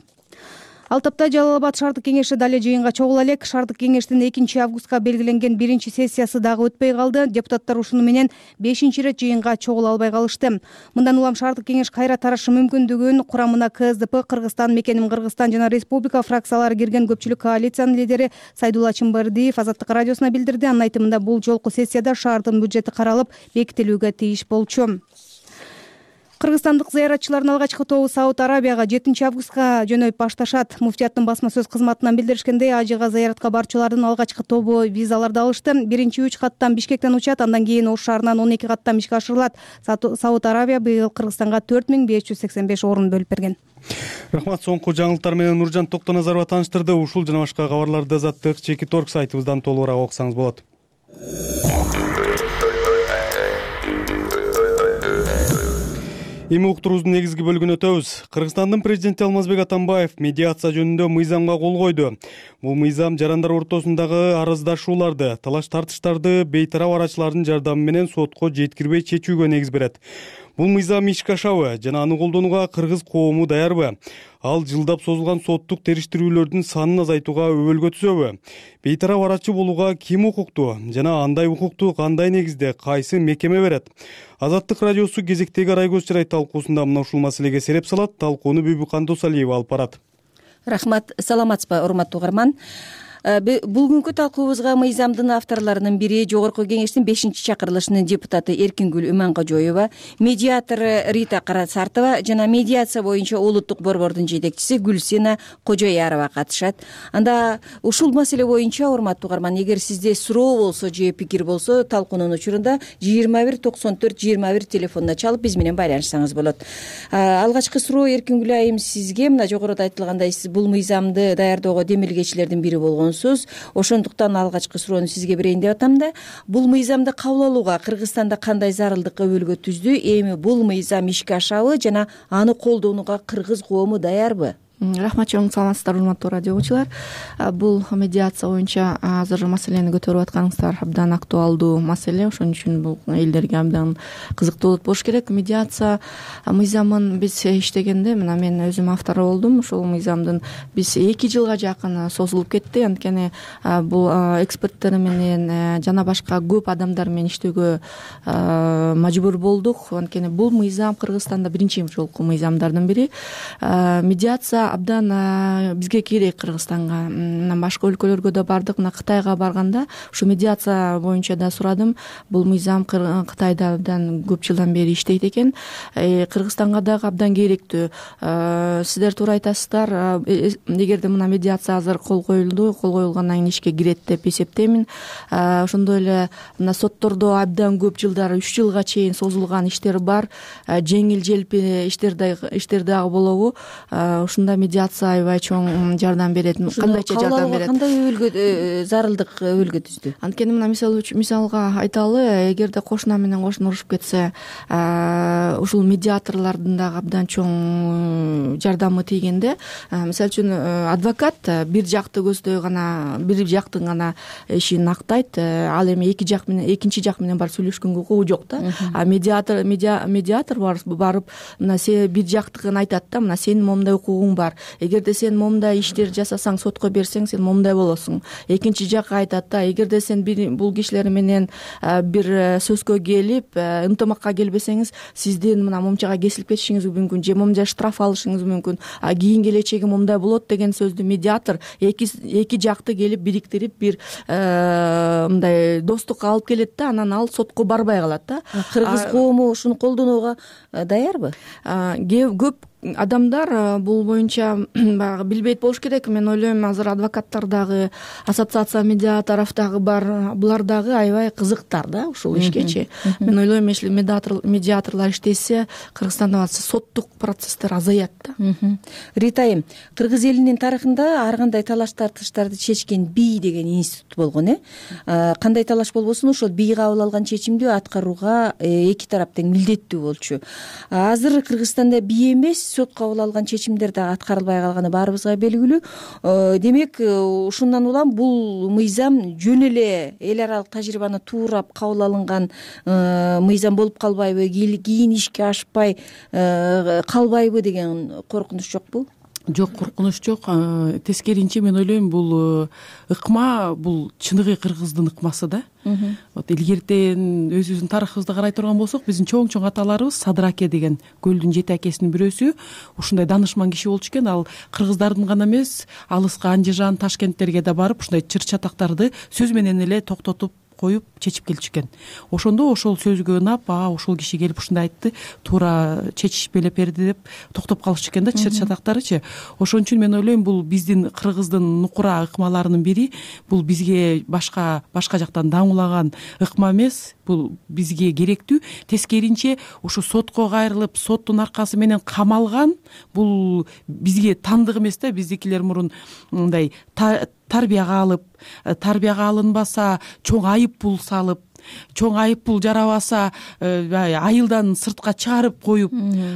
Ал тапта Жалал Абад шаардык кеңеши дале жыйынга чогула элек. Шаардык кеңештин экинчи августка белгиленген биринчи сессиясы дагы өтпөй калды. Депутаттар ушуну менен бешинчи ирет жыйынга чогула албай калышты. Мындан улам шаардык кеңеш кайра тарашы мүмкүндүгүн курамына КСДП, Кыргызстан, Мекеним Кыргызстан жана Республика фракциялары кирген көпчүлүк коалициянын лидери Сайдулла Чымбардиев Азаттык радиосуна билдирди. Анын айтымында, бул жолку сессияда шаардын бюджети каралып, бекитилүүгө тийиш болчу. Кыргызстандык зыяратчылардын алгачкы тобу Сауд Арабияга жетинчи августка жөнөп башташат. Муфтияттын басма сөз кызматынан билдиришкендей, ажыга зыяратка барчулардын алгачкы тобу визаларды алышты. Биринчи үч каттан Бишкектен учат, андан кийин Ош шаарынан он эки каттан ишке ашырылат. Сауд Арабия быйыл Кыргызстанга төрт миң беш жүз сексен беш орун бөлүп берген. Рахмат, соңку жаңылыктар менен Нуржан Токтоназаров тааныштырды. Ушул жана башка кабарларды Азаттык Чеки Торг сайтыбыздан толугураак окусаңыз болот. Эми уктуруубуздун негизги бөлүгүнө өтөбүз. Кыргызстандын президенти Алмазбек Атамбаев медиация жөнүндө мыйзамга кол койду. Бул мыйзам жарандар ортосундагы араздашууларды, талаш тартыштарды бейтарап арачылардын жардамы менен сотко жеткирбей чечүүгө негиз берет. Бул мыйзам ишке ашабы жана аны колдонууга кыргыз коому даярбы? Ал жылдап созулган соттук териштирүүлөрдүн санын азайтууга өбөлгө түзөбү? Бейтарап арачы болууга ким укуктуу жана андай укукту кандай негизде кайсы мекеме берет? Азаттык радиосу кезектеги Райгөз Чырай талкуусунда мына ушул маселеге сереп салат. Талкууну Бүбүкан Досалиева алып барат. Рахмат, саламатсызбы, урматтуу угарман. бул күнкү талкуубузга мыйзамдын авторлорунун бири Жогорку Кеңештин бешинчи чакырылышынын депутаты Эркингүл Иманкожоева, медиатор Рита Карасартова жана медиация боюнча улуттук борбордун жетекчиси Гүлсина Кожоярова катышат. Анда ушул маселе боюнча, урматтуу угарман, эгер сизде суроо болсо же пикир болсо, талкуунун учурунда жыйырма бир токсон төрт жыйырма бир телефонуна чалып биз менен байланышсаңыз болот. Алгачкы суроо Эркингүл айым сизге. Мына жогоруда айтылгандай, сиз бул мыйзамды даярдоого демилгечилердин бири болгонсуз. Ошондуктан алгачкы суроону сизге берейин деп атам да. Бул мыйзамды кабыл алууга Кыргызстанда кандай зарылдык өбөлгө түздү? Эми бул мыйзам ишке ашабы жана аны колдонууга кыргыз коому даярбы? Рахмат, чоң саламатсыздар, урматтуу радио угуучулар. Бул медиация боюнча азыр маселени көтөрүп атканыңыздар абдан актуалдуу маселе. Ошон үчүн бул элдерге абдан кызыктуу болуш керек. Медиация мыйзамын биз иштегенде, мына мен өзүм автору болдум. Ушул мыйзамдын биз эки жылга жакын созулуп кетти. Анткени бул эксперттер менен жана башка көп адамдар менен иштөөгө мажбур болдук. Анткени бул мыйзам Кыргызстанда биринчи жолку мыйзамдардын бири. Медиация абдан бизге керек, Кыргызстанга. Мына башка өлкөлөргө да бардык. Мына Кытайга барганда ушу медиация боюнча да сурадым. Бул мыйзам Кытайда абдан көп жылдан бери иштейт экен. Кыргызстанга дагы абдан керектүү. Сиздер туура айтасыздар. Эгерде мына медиация азыр кол коюлду, кол коюлгандан кийин ишке кирет деп эсептеймин. Ошондой эле мына соттордо абдан көп жылдар, үч жылга чейин созулган иштер бар. Жеңил желпи иштер дагы болобу? Ушунда медиация аябай чоң жардам берет. Кандайча жардам берет? Кандай өбөлгө зарылдык өбөлгө түздү? Анткени мына мисалга айталы, эгерде кошуна менен кошуна урушуп кетсе, ушул медиаторлордун дагы абдан чоң жардамы тийгенде, мисалы үчүн адвокат бир жакты көздөй гана, бир жактын гана ишин актайт, ал эми эки жак менен, экинчи жак менен барып сүйлөшкөнгө укугу жок да. А медиатор медиатор барып мына сен бир жактыгын айтат да, мына сенин момундай укугуң бар. Эгерде сен момундай иштер жасасаң, сотко берсең, сен момундай болосуң. Экинчи жак айтат да, эгерде сен бул кишилер менен бир сөзгө келип, ынтымакка келбесеңиз, сиздин мына момчага кесилип кетишиңиз мүмкүн, же момундай штраф алышыңыз мүмкүн. А кийин келечеги момундай болот деген сөздү медиатор эки эки жакты келип бириктирип бир мындай достукка алып келет да, анан ал сотко барбай калат да. Кыргыз коому ушуну колдонууга даярбы? Көп адамдар бул боюнча баягы билбейт болуш керек. Мен ойлойм, азыр адвокаттар дагы, ассоциация медиаторов дагы бар. Булар дагы аябай кызыктар да ушул ишкечи. Мен ойлойм, если медиаторлор иштесе, Кыргызстанда соттук процесстер азаят да. Рита айым, кыргыз элинин тарыхында ар кандай талаш тартыштарды чечкен бий деген институт болгон, э? Кандай талаш болбосун, ошол бий кабыл алган чечимди аткарууга эки тарап тең милдеттүү болчу. Азыр Кыргызстанда бий эмес, сот кабыл алган чечимдер дагы аткарылбай калганы баарыбызга белгилүү. Демек, ушундан улам бул мыйзам жөн эле эл аралык тажрыйбаны туурап кабыл алынган мыйзам болуп калбайбы, кийин ишке ашпай калбайбы деген коркунуч жокпу? Жок, коркунуч жок. Тескеринче мен ойлойм, бул ыкма, бул чыныгы кыргыздын ыкмасы да. Вот илгертен өзүбүздүн тарыхыбызды карай турган болсок, биздин чоң-чоң аталарыбыз Садыр аке деген көлдүн жети акесинин бирөөсү ушундай данышман киши болчу экен. Ал кыргыздардын гана эмес, алыска Андижан, Ташкенттерге да барып ушундай чыр чатактарды сөз менен эле токтотуп коюп чечип келчү экен. Ошондо ошол сөзгө ынап, а ошол киши келип ушундай айтты, туура чечишпелеп берди деп токтоп калышчу экен да чыр чатактарычы. Ошон үчүн мен ойлойм, бул биздин кыргыздын нукура ыкмаларынын бири. Бул бизге башка башка жактан даңулаган ыкма эмес, бул бизге керектүү. Тескеринче ушу сотко кайрылып, соттун аркасы менен камалган, бул бизге тандык эмес да. Биздикилер мурун мындай тарбияга алып, тарбияга алынбаса чоң айып пул салып, чоң айып пул жарабаса айылдан сыртка чыгарып коюп,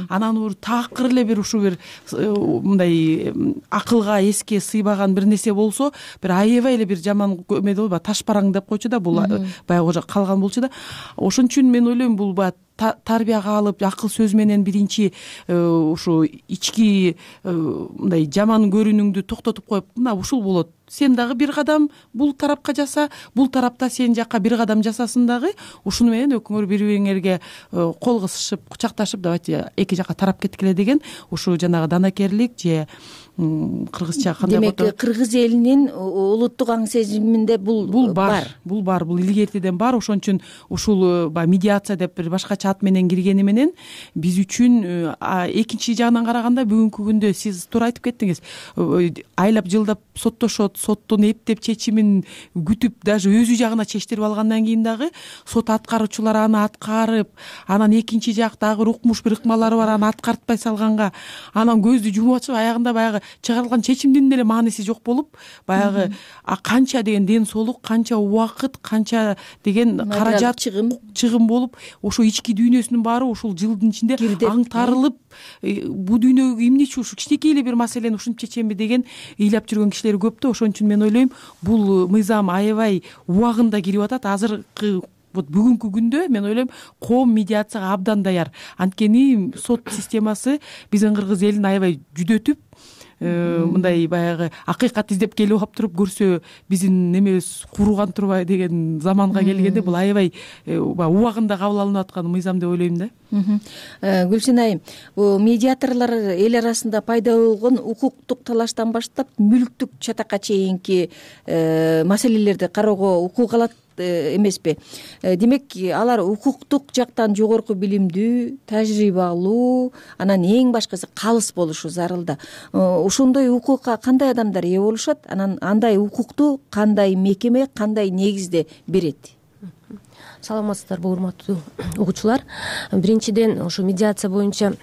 анан бир такыр эле бир ушу бир мындай акылга эске сыйбаган бир нерсе болсо, бир аябай эле бир жаман эмеде болбу, таш параң деп койчу да, бул баягы калган болчу да. Ошон үчүн мен ойлойм, бул баягы тарбияга алып, акыл сөз менен биринчи ушу ички мындай жаман көрүнүңдү токтотуп коюп, мына ушул болот, сен дагы бир кадам бул тарапка жаса, бул тарапта сен жакка бир кадам жасасын дагы. Ушуну менен экөөңөр бири бириңерге кол кысышып, кучакташып, давайте эки жакка тарап кеткиле деген ушу жанагы данакерлик же кыргызча кандай демек кыргыз элинин улуттук аң сезиминде бул бул бар, бул бар, бул илгертиден бар. Ошон үчүн ушул баягы медиация деп бир башкача ат менен киргени менен биз үчүн экинчи жагынан караганда бүгүнкү күндө сиз туура айтып кеттиңиз, айлап жылдап соттошот, соттун эптеп чечимин күтүп даже өзү жагына чечтирип алгандан кийин дагы сот аткаруучулар аны аткарып, анан экинчи жак дагы укмуш бир ыкмалары бар, аны аткартпай салганга анан көздү жумуп атышып аягында баягы чыгарылган чечимдин деле мааниси жок болуп, баягы канча деген ден соолук, канча убакыт, канча деген каражат, чыгым чыгым болуп, ошо ички дүйнөсүнүн баары ушул жылдын ичинде аңтарылып, бул дүйнөгө эмне үчүн ушу кичинекей эле бир маселени ушинтип чечемби деген ыйлап жүргөн кишилер көп да. Ошон үчүн мен ойлойм, бул мыйзам аябай убагында кирип атат. Азыркы вот бүгүнкү күндө мен ойлойм коом медиацияга абдан даяр. Анткени сот системасы биздин кыргыз элин аябай жүдөтүп, мындай баягы акыйкат издеп келип алып туруп көрсө биздин немебиз кууруган турбайбы деген заманга келгенде бул аябай убагында кабыл алынып аткан мыйзам деп ойлойм да. Гүлсин айым, бул медиаторлор эл арасында пайда болгон укуктук талаштан баштап мүлктүк чатакка чейинки маселелерди кароого укук алат эмеспи? Демек алар укуктук жактан жогорку билимдүү, тажрыйбалуу, анан эң башкысы калыс болушу зарыл да. Ошондой укукка кандай адамдар ээ болушат? Анан андай укукту кандай мекеме, кандай негизде берет? Саламатсыздарбы, урматтуу угуучулар. Биринчиден, ошо медиация боюнча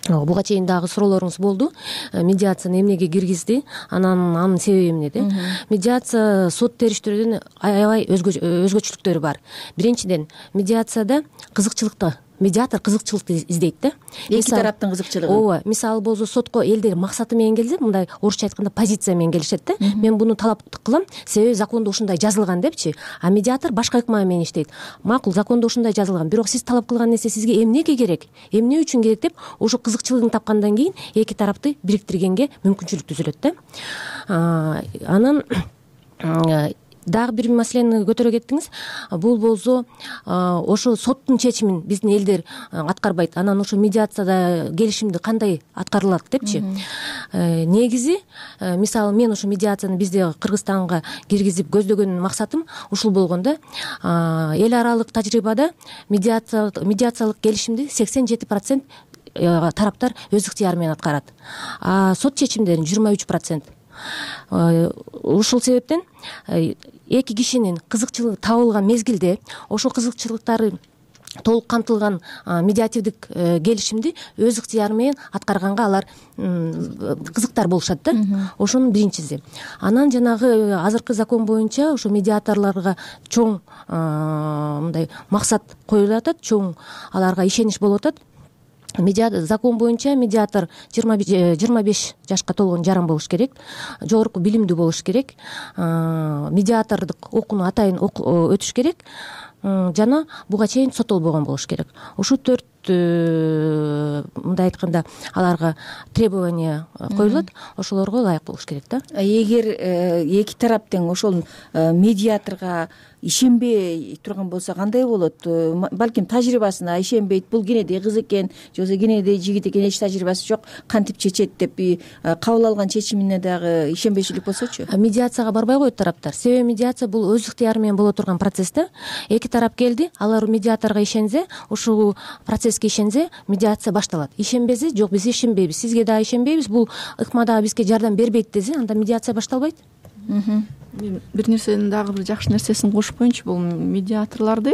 буга чейин дагы суроолоруңуз болду. Медиацияны эмнеге киргизди, анан анын себеби эмне деп. Медиация сот териштирүүдөн аябай өзгөчөлүктөрү бар. Биринчиден, медиацияда кызыкчылыкты медиатор кызыкчылыкты издейт да. Эки тараптын кызыкчылыгы. Ооба, мисалы болсо сотко элдер максаты менен келсе, мындай орусча айтканда позиция менен келишет да. Мен буну талап кылам, себеби закондо ушундай жазылган депчи. А медиатор башка ыкма менен иштейт. Макул, закондо ушундай жазылган, бирок сиз талап кылган нерсе сизге эмнеге керек, эмне үчүн керек деп ошо кызыкчылыгын тапкандан кийин эки тарапты бириктиргенге мүмкүнчүлүк түзүлөт да. Анан дагы бир маселени көтөрө кеттиңиз. Бул болсо ошо соттун чечимин биздин элдер аткарбайт. Анан ошо медиацияда келишимди кандай аткарылат депчи. Негизи, мисалы мен ошо медиацияны бизде Кыргызстанга киргизип көздөгөн максатым ушул болгон да. Эл аралык тажрыйбада медиациялык келишимди сексен жети процент тараптар өз ыктыяры менен аткарат. А сот чечимдерин жыйырма үч процент. Ушул себептен эки кишинин кызыкчылыгы табылган мезгилде ошол кызыкчылыктары толук камтылган медиативдик келишимди өз ыктыяры менен аткарганга алар кызыктар болушат да. Ошонун биринчиси. Анан жанагы азыркы закон боюнча ошо медиаторлорго чоң мындай максат коюлуп атат, чоң аларга ишенич болуп атат. Закон боюнча медиатор жыйырма беш жашка толгон жаран болуш керек, жогорку билимдүү болуш керек, медиатордук окууну атайын өтүш керек жана буга чейин соттолбогон болуш керек. Ушу төрт мындай айтканда аларга требование коюлат, ошолорго ылайык болуш керек да. Эгер эки тарап тең ошол медиаторго ишенбей турган болсо кандай болот? Балким тажрыйбасына ишенбейт, бул кенедей кыз экен, же болбосо кенедей жигит экен, эч тажрыйбасы жок, кантип чечет деп кабыл алган чечимине дагы ишенбейчилик болсочу? Медиацияга барбай коет тараптар. Себеби медиация бул өз ыктыяры менен боло турган процесс да. Эки тарап келди, алар медиаторго ишенсе, ушул процесске ишенсе, медиация башталат. Ишенбесе, жок, биз ишенбейбиз, сизге дагы ишенбейбиз, бул ыкма дагы бизге жардам бербейт десе, анда медиация башталбайт. Бир нерсенин дагы бир жакшы нерсесин кошуп коеюнчу, бул медиаторлорду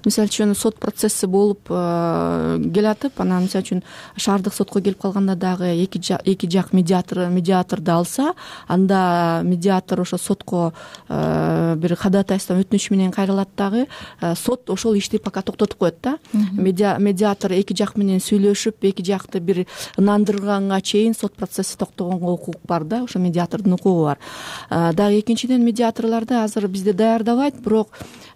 мисалы үчүн сот процесси болуп келатып, анан мисалы үчүн шаардык сотко келип калганда дагы эки эки жак медиатор медиаторду алса, анда медиатор ошо сотко бир ходатайство өтүнүч менен кайрылат дагы, сот ошол ишти пока токтотуп коет да. Медиатор эки жак менен сүйлөшүп, эки жакты бир ынандырганга чейин сот процесси токтогонго укук бар да, ошо медиатордун укугу бар. Дагы экинчиден медиаторлорду азыр бизде даярдабайт, бирок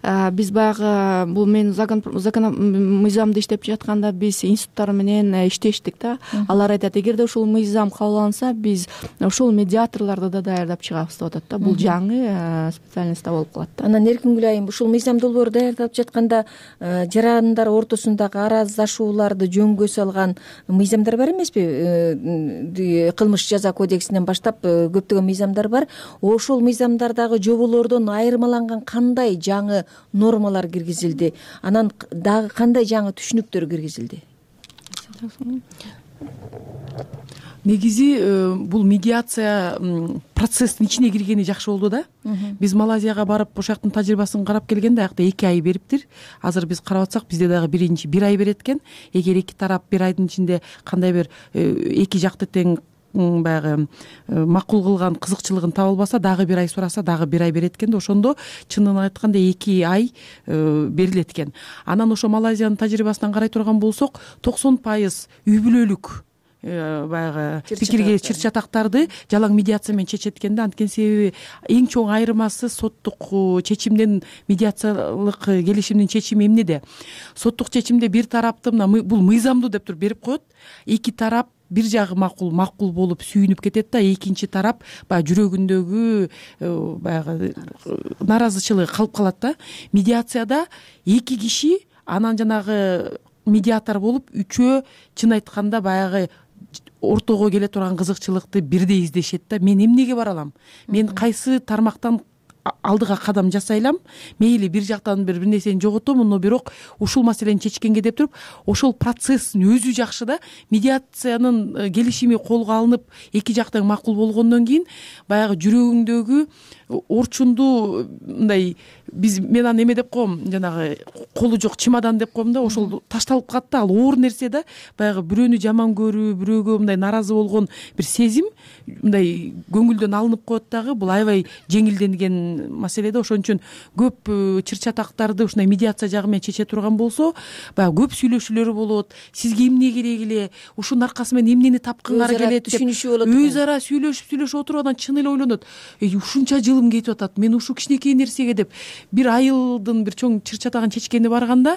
биз баягы бул мен закон мыйзамды иштеп жатканда биз институттар менен иштештик да. Алар айтат, эгерде ушул мыйзам кабыл алынса, биз ушул медиаторлорду да даярдап чыгабыз деп атат да. Бул жаңы специальностьта болуп калат да. Анан Эркингүл айым, ушул мыйзам долбоору даярдалып жатканда жарандар ортосундагы араздашууларды жөнгө салган мыйзамдар бар эмеспи? Кылмыш жаза кодексинен баштап көптөгөн мыйзамдар бар. Ошол мыйзамдардагы жоболордон айырмаланган кандай жаңы нормалар киргизилди? Анан дагы кандай жаңы түшүнүктөр киргизилди? Негизи бул медиация процесстин ичине киргени жакшы болду да. Биз Малайзияга барып ошол жактын тажрыйбасын карап келгенде, аякта эки ай бериптир. Азыр биз карап атсак, бизде дагы биринчи бир ай берет экен. Эгер эки тарап бир айдын ичинде кандай бир эки жакты тең баягы макул кылган кызыкчылыгын таба албаса, дагы бир ай сураса, дагы бир ай берет экен да. Ошондо чынын айтканда эки ай берилет экен. Анан ошо Малайзиянын тажрыйбасынан карай турган болсок, токсон пайыз үй бүлөлүк баягы пикирге чыр чатактарды жалаң медиация менен чечет экен да. Анткени себеби эң чоң айырмасы соттук чечимден медиациялык келишимдин чечими эмнеде? Соттук чечимде бир тарапты мына бул мыйзамдуу деп туруп берип коет. Эки тарап бир жагы макул макул болуп сүйүнүп кетет да, экинчи тарап баягы жүрөгүндөгү баягы наразычылыгы калып калат да. Медиацияда эки киши, анан жанагы медиатор болуп үчөө чын айтканда баягы ортого келе турган кызыкчылыкты бирдей издешет да. Мен эмнеге бара алам? Мен кайсы тармактан алдыга кадам жасайлам? Мейли бир жактан бир бир нерсени жоготом, но бирок ушул маселени чечкенге деп туруп, ошол процесстин өзү жакшы да. Медиациянын келишими колго алынып, эки жактан макул болгондон кийин баягы жүрөгүңдөгү орчунду мындай биз мен аны эме деп коем, жанагы колу жок чемодан деп коем да, ошол ташталып калат да. Ал оор нерсе да. Баягы бирөөнү жаман көрүү, бирөөгө мындай наразы болгон бир сезим мындай көңүлдөн алынып коет дагы. Бул аябай жеңилденген маселе да. Ошон үчүн көп чыр чатактарды ушундай медиация жагы менен чече турган болсо, баягы көп сүйлөшүүлөр болот. Сизге эмне керек эле? Ушунун аркасы менен эмнени тапкыңар келет деп өз ара сүйлөшүп сүйлөшүп отуруп, анан чын эле ойлонот. Эй, ушунча жылым кетип атат. Мен ушул кичинекей нерсеге деп бир айылдын бир чоң чыр чатагын чечкени барганда,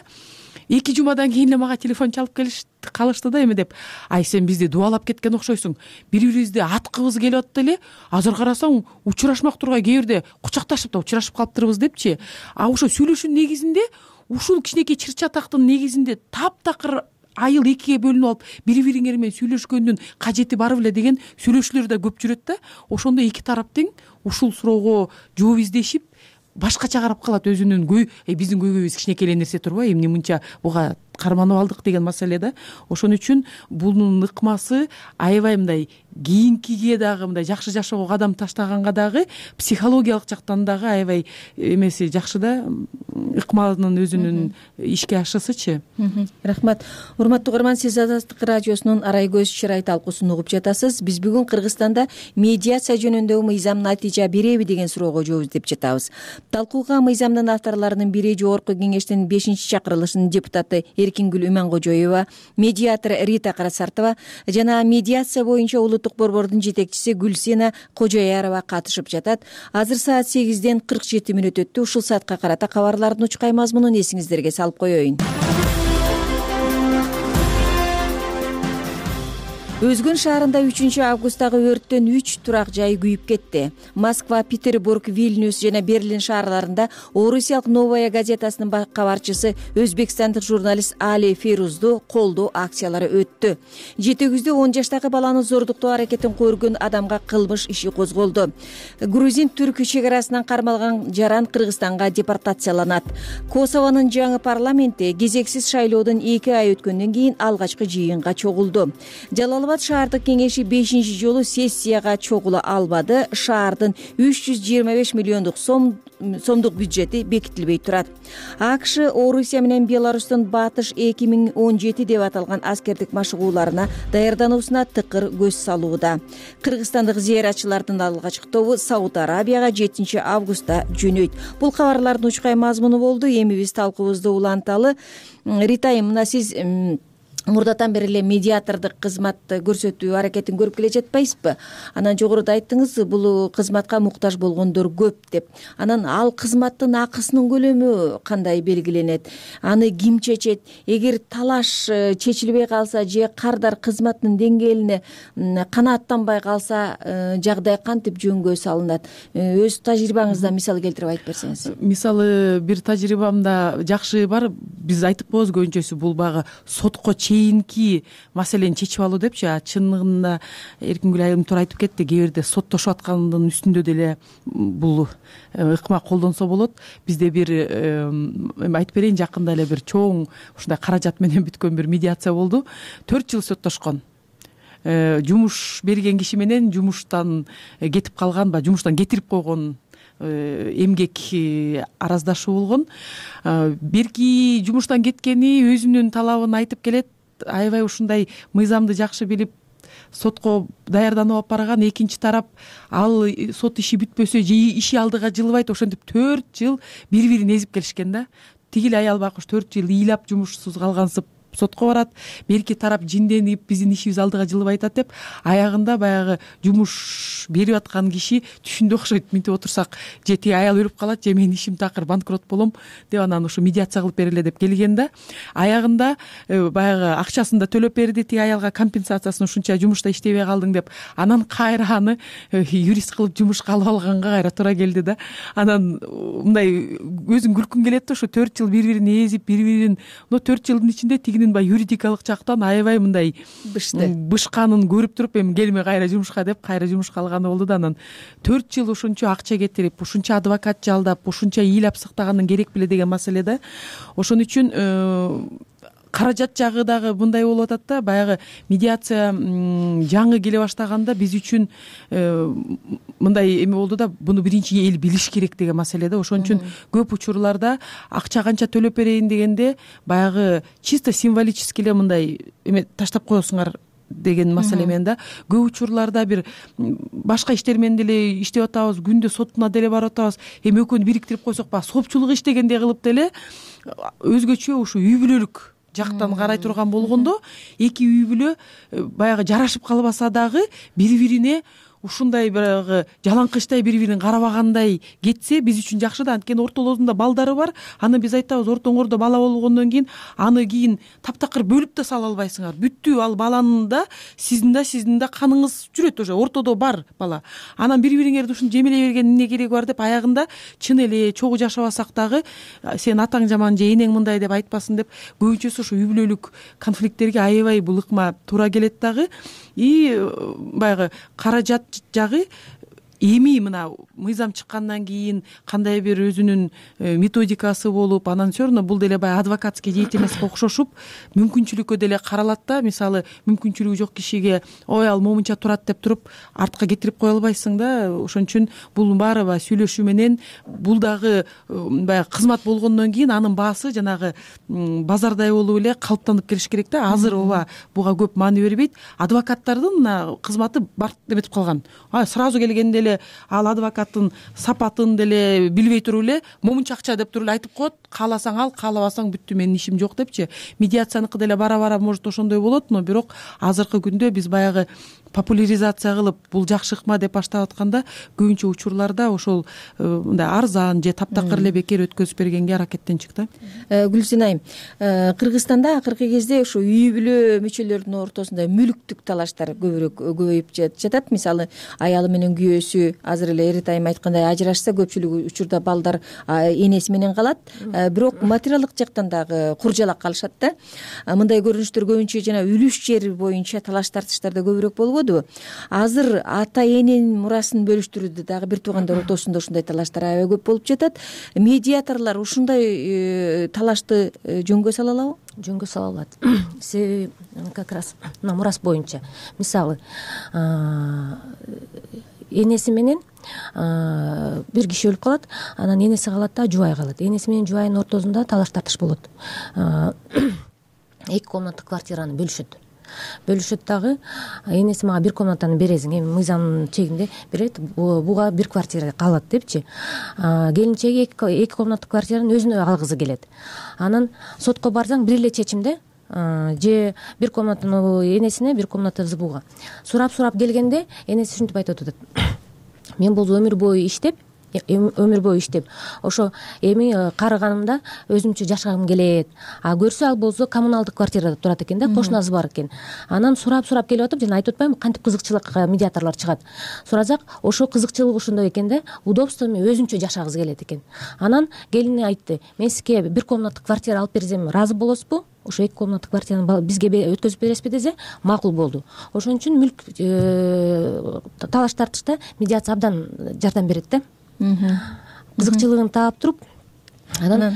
эки жумадан кийин эле мага телефон чалып келишти, калышты да, эме деп. Ай, сен бизди дубалап кеткен окшойсуң. Бири-бирибизди аткыбыз келип атты эле. Азыр карасаң, учурашмак тургай кээ бирде кучакташып да учурашып калыптырбыз депчи. А ошо сүйлөшүүнүн негизинде, ушул кичинекей чыр чатактын негизинде таптакыр айыл экиге бөлүнүп алып, бири-бириңер менен сүйлөшкөндүн кажети бар беле деген сүйлөшүүлөр да көп жүрөт да. Ошондо эки тарап тең ушул суроого жооп издешип, башкача карап калат өзүнүн көй, биздин көйгөйүбүз кичинекей эле нерсе турбайбы, эмне мынча буга карманып алдык деген маселе да. Ошон үчүн бунун ыкмасы аябай мындай кийинкиге дагы мындай жакшы жашоого кадам таштаганга дагы психологиялык жактан дагы аябай эмеси жакшы да, ыкманын өзүнүн ишке ашышычы. Рахмат. Урматтуу угарман, сиз Азаттык радиосунун Арай көз чырай талкуусун угуп жатасыз. Биз бүгүн Кыргызстанда медиация жөнүндөгү мыйзам натыйжа береби деген суроого жооп издеп жатабыз. Талкууга мыйзамдын авторлорунун бири жогорку кеңештин бешинчи чакырылышынын депутаты Эркингүл Иманкожоева, медиатор Рита Карасартова жана медиация боюнча улуттук борбордун жетекчиси Гүлсена Кожоярова катышып жатат. Азыр саат сегизден кырк жети мүнөт өттү. Ушул саатка карата кабарлардын учкай мазмунун эсиңиздерге салып коеюн. Өзгөн шаарында үчүнчү августтагы өрттөн үч турак жай күйүп кетти. Москва, Петербург, Вильнюс жана Берлин шаарларында Орусиялык Новая газетасынын кабарчысы өзбекстандык журналист Али Ферузду колдоо акциялары өттү. Жетегүздө он жаштагы баланы зордуктоо аракетин көргөн адамга кылмыш иши козголду. Грузин-түрк чек арасынан кармалган жаран Кыргызстанга депортацияланат. Косовонун жаңы парламенти кезексиз шайлоодон эки ай өткөндөн кийин алгачкы жыйынга чогулду. Жалал шаардык кеңеши бешинчи жолу сессияга чогула албады. Шаардын үч жүз жыйырма беш миллиондук сом сомдук бюджети бекитилбей турат. АКШ Орусия менен Беларустун Батыш эки миң он жети деп аталган аскердик машыгууларына даярдануусуна тыкыр көз салууда. Кыргызстандык зыяратчылардын алгачкы тобу Сауд Арабияга жетинчи августта жөнөйт. Бул кабарлардын учкай мазмуну болду. Эми биз талкуубузду уланталы. Рита, мына сиз мурдатан бери эле медиатордук кызмат көрсөтүү аракетин көрүп келе жатпайсызбы? Анан жогоруда айттыңыз, бул кызматка муктаж болгондор көп деп. Анан ал кызматтын акысынын көлөмү кандай белгиленет? Аны ким чечет? Эгер талаш чечилбей калса же кардар кызматтын деңгээлине канааттанбай калса, жагдай кантип жөнгө салынат? Өз тажрыйбаңыздан мисал келтирип айтып берсеңиз. Мисалы, бир тажрыйбамда жакшы бар. Биз айтып коебуз көбүнчөсү бул баягы сотко чейинки маселени чечип алуу депчи. Чындыгында Эркингүл айым туура айтып кетти. Кээ бирде соттошуп аткандын үстүндө деле бул ыкма колдонсо болот. Бизде бир эми айтып берейин, жакында эле бир чоң ушундай каражат менен бүткөн бир медиация болду. төрт жыл соттошкон. Жумуш берген киши менен жумуштан кетип калган, ба жумуштан кетирип койгон эмгек араздашуу болгон. Берки жумуштан кеткени өзүнүн талабын айтып келет. Аябай ушундай мыйзамды жакшы билип сотко даярданып алып барган. Экинчи тарап ал сот иши бүтпөсө же иши алдыга жылбайт, ошентип төрт жыл бири-бирин эзип келишкен да. Тигил аял байкуш төрт жыл ыйлап жумушсуз калгансып сотко барат. Берки тарап жинденип биздин ишибиз алдыга жылбай атат деп, аягында баягы жумуш берип аткан киши түшүндө окшойт. Минтип отурсак же тиги аял өлүп калат, же менин ишим такыр банкрот болом деп анан ушу медиация кылып бергиле деп келген да. Аягында баягы акчасын да төлөп берди, тиги аялга компенсациясын ушунча жумушта иштебей калдың деп. Анан кайра аны юрист кылып жумушка алып алганга кайра туура келди да. Анан мындай өзүң күлкүң келет да, ушу төрт жыл бири-бирин эзип, бири-бирин, но төрт жылдын ичинде тигинин баягы юридикалык жактан аябай мындай бышты бышканын көрүп туруп, эми келме кайра жумушка деп кайра жумушка алганы болду да. Анан төрт жыл ушунча акча кетирип, ушунча адвокат жалдап, ушунча ыйлап сыктаганын керек беле деген маселе да. Ошон үчүн каражат жагы дагы мындай болуп атат да. Баягы медиация жаңы келе баштаганда биз үчүн мындай эме болду да, буну биринчи эл билиш керек деген маселе да. Ошон үчүн көп учурларда акча канча төлөп берейин дегенде баягы чисто символически эле мындай эме таштап коесуңар деген маселе менен да. Көп учурларда бир башка иштер менен деле иштеп атабыз, күндө сотуна деле барып атабыз. Эми экөөнү бириктирип койсок, баягы сопчулук иштегендей кылып деле өзгөчө ушу үй бүлөлүк жактан карай турган болгондо, эки үй бүлө баягы жарашып калбаса дагы бири-бирине ушундай баягы жалаңкычтай бири-бирин карабагандай кетсе биз үчүн жакшы да. Анткени ортолорунда балдары бар. Аны биз айтабыз, ортоңордо бала болгондон кийин аны кийин таптакыр бөлүп да сала албайсыңар. Бүттү, ал баланын да сиздин да сиздин да каныңыз жүрөт, уже ортодо бар бала. Анан бири-бириңерди ушинтип жемелей бергендин эмне кереги бар деп, аягында чын эле чогуу жашабасак дагы сен атаң жаман же энең мындай деп айтпасын деп, көбүнчөсү ушу үй бүлөлүк конфликттерге аябай бул ыкма туура келет дагы. И баягы каражат жагы эми мына мыйзам чыккандан кийин кандай бир өзүнүн методикасы болуп, анан все равно бул деле баягы адвокатский деятельностько окшошуп мүмкүнчүлүккө деле каралат да. Мисалы, мүмкүнчүлүгү жок кишиге ой ал момунча турат деп туруп артка кетирип кое албайсың да. Ошон үчүн бул баары баягы сүйлөшүү менен, бул дагы баягы кызмат болгондон кийин анын баасы жанагы базардай болуп эле калыптанып келиш керек да. Азыр ооба буга көп маани бербейт. Адвокаттардын мына кызматы барт эметип калган. Сразу келгенде ал адвокаттын сапатын деле билбей туруп эле момунча акча деп туруп эле айтып коет. Кааласаң ал, каалабасаң бүттү, менин ишим жок депчи. Медиацияныкы деле бара-бара может ошондой болот, но бирок азыркы күндө биз баягы популяризация кылып бул жакшы ыкма деп баштап атканда көбүнчө учурларда ошол мындай арзан же таптакыр эле бекер өткөзүп бергенге аракеттенчик да. Гүлсин айым, Кыргызстанда акыркы кезде ушу үй бүлө мүчөлөрүнүн ортосунда мүлүктүк талаштар көбүрөөк көбөйүп жатат. Мисалы, аялы менен күйөөсү азыр эле Эрит айым айткандай ажырашса, көпчүлүк учурда балдар энеси менен калат, бирок материалдык жактан дагы куржалак калышат да. Мындай көрүнүштөр көбүнчө жана үлүш жер боюнча талаш тартыштарда көбүрөөк болбойбу? Азыр ата эненин мурасын бөлүштүрүүдө дагы бир туугандар ортосунда ушундай талаштар аябай көп болуп жатат. Медиаторлор ушундай талашты жөнгө сала алабы? Жөнгө сала алат. Себеби как раз мына мурас боюнча, мисалы, энеси менен бир киши өлүп калат, анан энеси калат да, жубай калат. Энеси менен жубайдын ортосунда талаш тартыш болот. Эки комнаттык квартираны бөлүшөт. Бөлүшөт дагы, энеси мага бир комнатаны бересиң, эми мыйзамдын чегинде берет, буга бир квартира калат депчи. Келинчеги эки комнаттык квартираны өзүнө алгысы келет. Анан сотко барсаң бир эле чечимде же бир комнатанын энесине бир комната збуга сурап сурап келгенде энеси ушинтип айтып атат: мен бул өмүр бою иштеп өмүр бою иштеп ошо эми карыганымда өзүмчө жашагым келет. А көрсө ал болсо коммуналдык квартирада турат экен да, кошунасы бар экен. Анан сурап сурап келип атып, жана айтып атпаймынбы кантип кызыкчылык медиаторлор чыгат. Сурасак ошо кызыкчылык ошондой экен да, удобство менен өзүнчө жашагыбыз келет экен. Анан келини айтты: мен сизге бир комнаттык квартира алып берсем ыраазы болосузбу? Ошо эки комнаттык квартираны бизге өткөзүп бересизби десе, макул болду. Ошон үчүн мүлк талаш тартышта медиация абдан жардам берет да. Кызыкчылыгын таап туруп, анан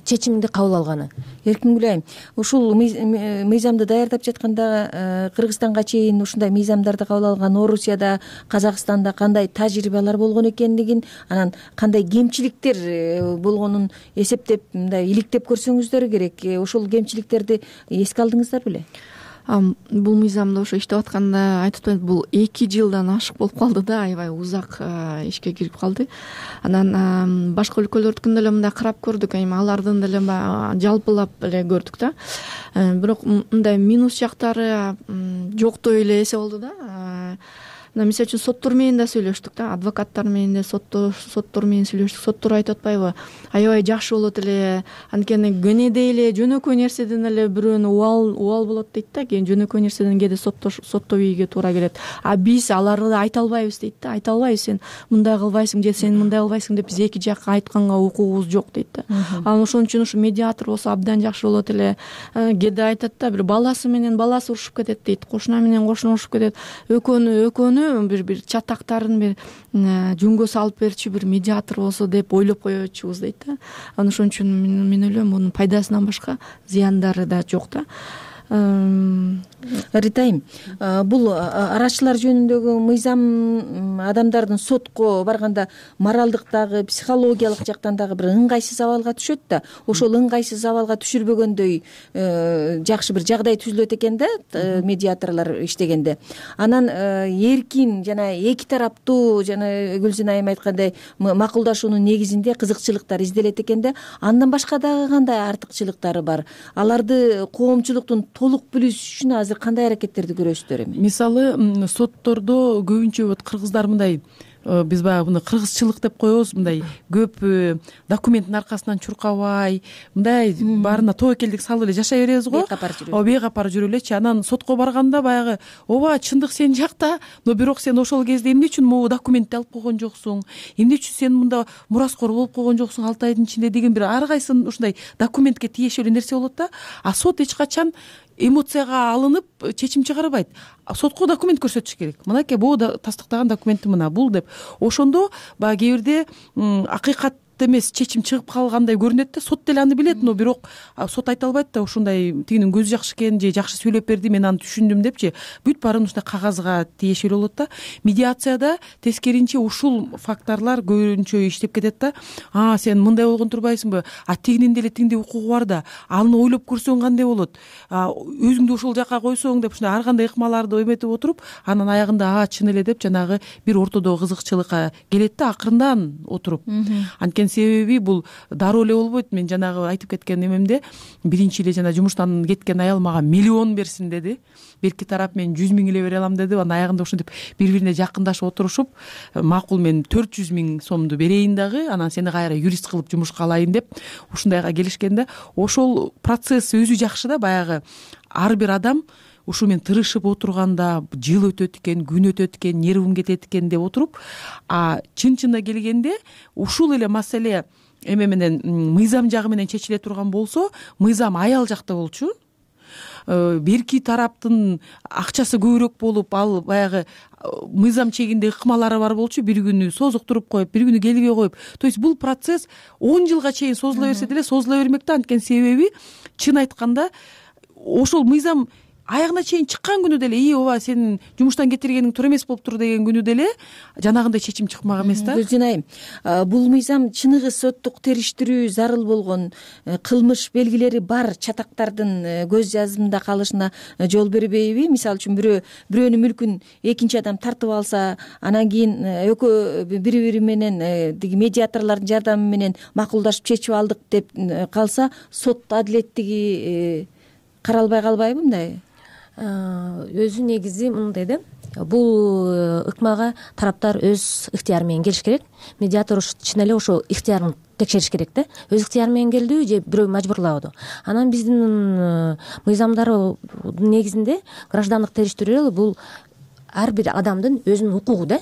чечимди кабыл алганы. Эркингүл айым, ушул мыйзамды даярдап жатканда Кыргызстанга чейин ушундай мыйзамдарды кабыл алган Орусияда, Казакстанда кандай тажрыйбалар болгон экендигин, анан кандай кемчиликтер болгонун эсептеп, мындай иликтеп көрсөңүздөр керек. Ошол кемчиликтерди эске алдыңыздар беле? Бул мыйзамда ошо иштеп атканда айтып атпаймынбы, бул эки жылдан ашык болуп калды да, аябай узак ишке кирип калды. Анан башка өлкөлөрдүкүн деле мындай карап көрдүк, эми алардын деле жалпылап эле көрдүк да. Бирок мындай минус жактары жоктой эле эсе болду да. Мисалы үчүн соттор менен да сүйлөштүк да, адвокаттар менен да, соттор менен сүйлөштүк. Соттор айтып атпайбы, аябай жакшы болот эле, анткени кенедей эле жөнөкөй нерседен эле бирөөнү убал убал болот дейт да, кийин жөнөкөй нерседен кээде сотто ийүүгө туура келет. А биз аларды айта албайбыз дейт да, айта албайбыз, сен мындай кылбайсың же сен мындай кылбайсың деп биз эки жакка айтканга укугубуз жок дейт да. Анан ошон үчүн ушу медиатор болсо абдан жакшы болот эле. Кээде айтат да, бир баласы менен баласы урушуп кетет дейт, кошуна менен кошуна урушуп кетет, экөөнү экөөнү бир бир чатактарын бир жөнгө салып берчү бир медиатор болсо деп ойлоп койчубуз дейт да. Анан ошон үчүн мен ойлойм, мунун пайдасынан башка зыяндары да жок да. Ритайым, бул арачылар жөнүндөгү мыйзам адамдардын сотко барганда моралдык дагы, психологиялык жактан дагы бир ыңгайсыз абалга түшөт да. Ошол ыңгайсыз абалга түшүрбөгөндөй жакшы бир жагдай түзүлөт экен да медиаторлор иштегенде. Анан эркин жана эки тараптуу, жана Гүлсин айым айткандай макулдашуунун негизинде кызыкчылыктар изделет экен да. Андан башка дагы кандай артыкчылыктары бар? Аларды коомчулуктун толук билиш үчүн азыр кандай аракеттерди көрөсүздөр эми? Мисалы, соттордо көбүнчө вот кыргыздар мындай, биз баягы муну кыргызчылык деп коебуз, мындай көп документтин аркасынан чуркабай, мындай баарына тобокелдик салып эле жашай беребиз го. О, бейкапар жүрө элечи. Анан сотко барганда баягы, ооба чындык сен жакта, но бирок сен ошол кезде эмне үчүн могу документти алып койгон жоксуң, эмне үчүн сен мында мураскор болуп койгон жоксуң алты айдын ичинде деген бир ар кайсын ушундай документке тиешелүү нерсе болот да. А сот эч качан эмоцияга алынып чечим чыгарбайт. Сотко документ көрсөтүш керек. Мынакей бул тастыктаган документи мына бул деп. Ошондо баягы кээ бирде акыйкат эмес чечим чыгып калгандай көрүнөт да. Сот деле аны билет, но бирок сот айта албайт да, ушундай тигинин көзү жакшы экен же жакшы сүйлөп берди, мен аны түшүндүм депчи. Бүт баарын ушундай кагазга тиешелүү болот да. Медиацияда тескеринче ушул факторлор көбүнчө иштеп кетет да. А, сен мындай болгон турбайсыңбы? А тигинин деле тиңдей укугу бар да. Аны ойлоп көрсөң кандай болот? Өзүңдү ошол жака койсоң деп ушундай ар кандай ыкмаларды эметип отуруп, анан аягында а чын эле деп жанагы бир ортодогу кызыкчылыкка келет да, акырындан отуруп. Анткени себеби бул дароо эле болбойт. Мен жанагы айтып кеткен эмемде биринчи эле жана жумуштан кеткен аял мага миллион берсин деди. Берки тарап мен жүз миң эле бере алам деди. Анан аягында ушинтип бири-бирине жакындашып отурушуп, макул мен төрт жүз миң сомду берейин дагы, анан сени кайра юрист кылып жумушка алайын деп ушундайга келишкен да. Ошол процесс өзү жакшы да, баягы ар бир адам ушу мен тырышып отурганда жыл өтөт экен, күн өтөт экен, нервим кетет экен деп отуруп, а чын-чынына келгенде ушул эле маселе эме менен мыйзам жагы менен чечиле турган болсо, мыйзам аял жакта болчу. Берки тараптын акчасы көбүрөөк болуп, ал баягы мыйзам чегинде ыкмалары бар болчу, бир күнү созуктуруп коюп, бир күнү келбей коюп. То есть бул процесс он жылга чейин созула берсе деле созула бермек да. Анткени себеби чын айтканда ошол мыйзам аягына чейин чыккан күнү деле, и ооба сенин жумуштан кетиргениң туура эмес болуптур деген күнү деле жанагындай чечим чыкмак эмес да. Гүлсин айым, бул мыйзам чыныгы соттук териштирүү зарыл болгон кылмыш белгилери бар чатактардын көз жазымында калышына жол бербейби? Мисалы үчүн бирөө бирөөнүн мүлкүн экинчи адам тартып алса, анан кийин экөө бири-бири менен тиги медиаторлордун жардамы менен макулдашып чечип алдык деп калса, сот адилеттиги каралбай калбайбы мындай? Өзү негизи мындай да, бул ыкмага тараптар өз ыктыяры менен келиш керек. Медиатор чын эле ошо ыктыярын текшериш керек да, өз ыктыяры менен келдиби же бирөө мажбурлабыдыбы. Анан биздин мыйзамдардын негизинде граждандык териштирүү бул ар бир адамдын өзүнүн укугу да.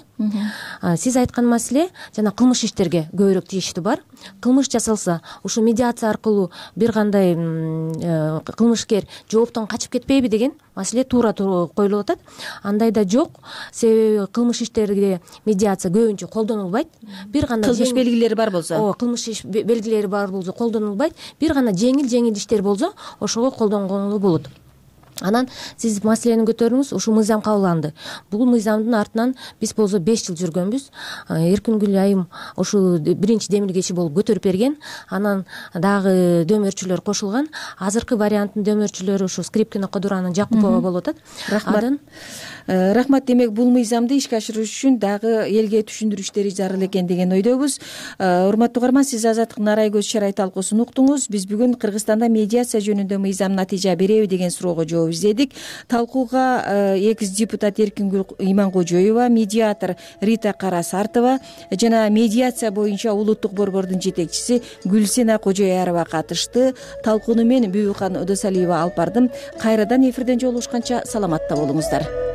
Сиз айткан маселе жана кылмыш иштерге көбүрөөк тийиштүү бар. Кылмыш жасалса, ушу медиация аркылуу бир кандай кылмышкер жооптон качып кетпейби деген маселе туура коюлуп атат. Андайда жок, себеби кылмыш иштерде медиация көбүнчө колдонулбайт. Бир гана кылмыш белгилери бар болсо, ооба, кылмыш белгилери бар болсо колдонулбайт. Бир гана жеңил-жеңил иштер болсо, ошого колдонгонго болот. Анан сиз маселени көтөрдүңүз, ушул мыйзам кабыл алынды. Бул мыйзамдын артынан биз болсо беш жыл жүргөнбүз. Эркингүл айым ушул биринчи демилгечи болуп көтөрүп берген. Анан дагы дөмөрчүлөр кошулган. Азыркы варианттын дөмөрчүлөрү ушу Скрипкина, Кодуранын, Жакупова болуп атат. Рахмат. Рахмат. Демек бул мыйзамды ишке ашырыш үчүн дагы элге түшүндүрүү иштери зарыл экен деген ойдобуз. Урматтуу угарман, сиз Азаттык Нарай көз чарай талкуусун уктуңуз. Биз бүгүн Кыргызстанда медиация жөнүндө мыйзам натыйжа береби деген суроого жооп издедик. Талкууга экс депутат Эркингүл Иманкожоева, медиатор Рита Карасартова жана медиация боюнча улуттук борбордун жетекчиси Гүлсена Кожоярова катышты. Талкууну мен Бүбүкан Ыдысалиева алып бардым. Кайрадан эфирден жолугушканча саламатта болуңуздар.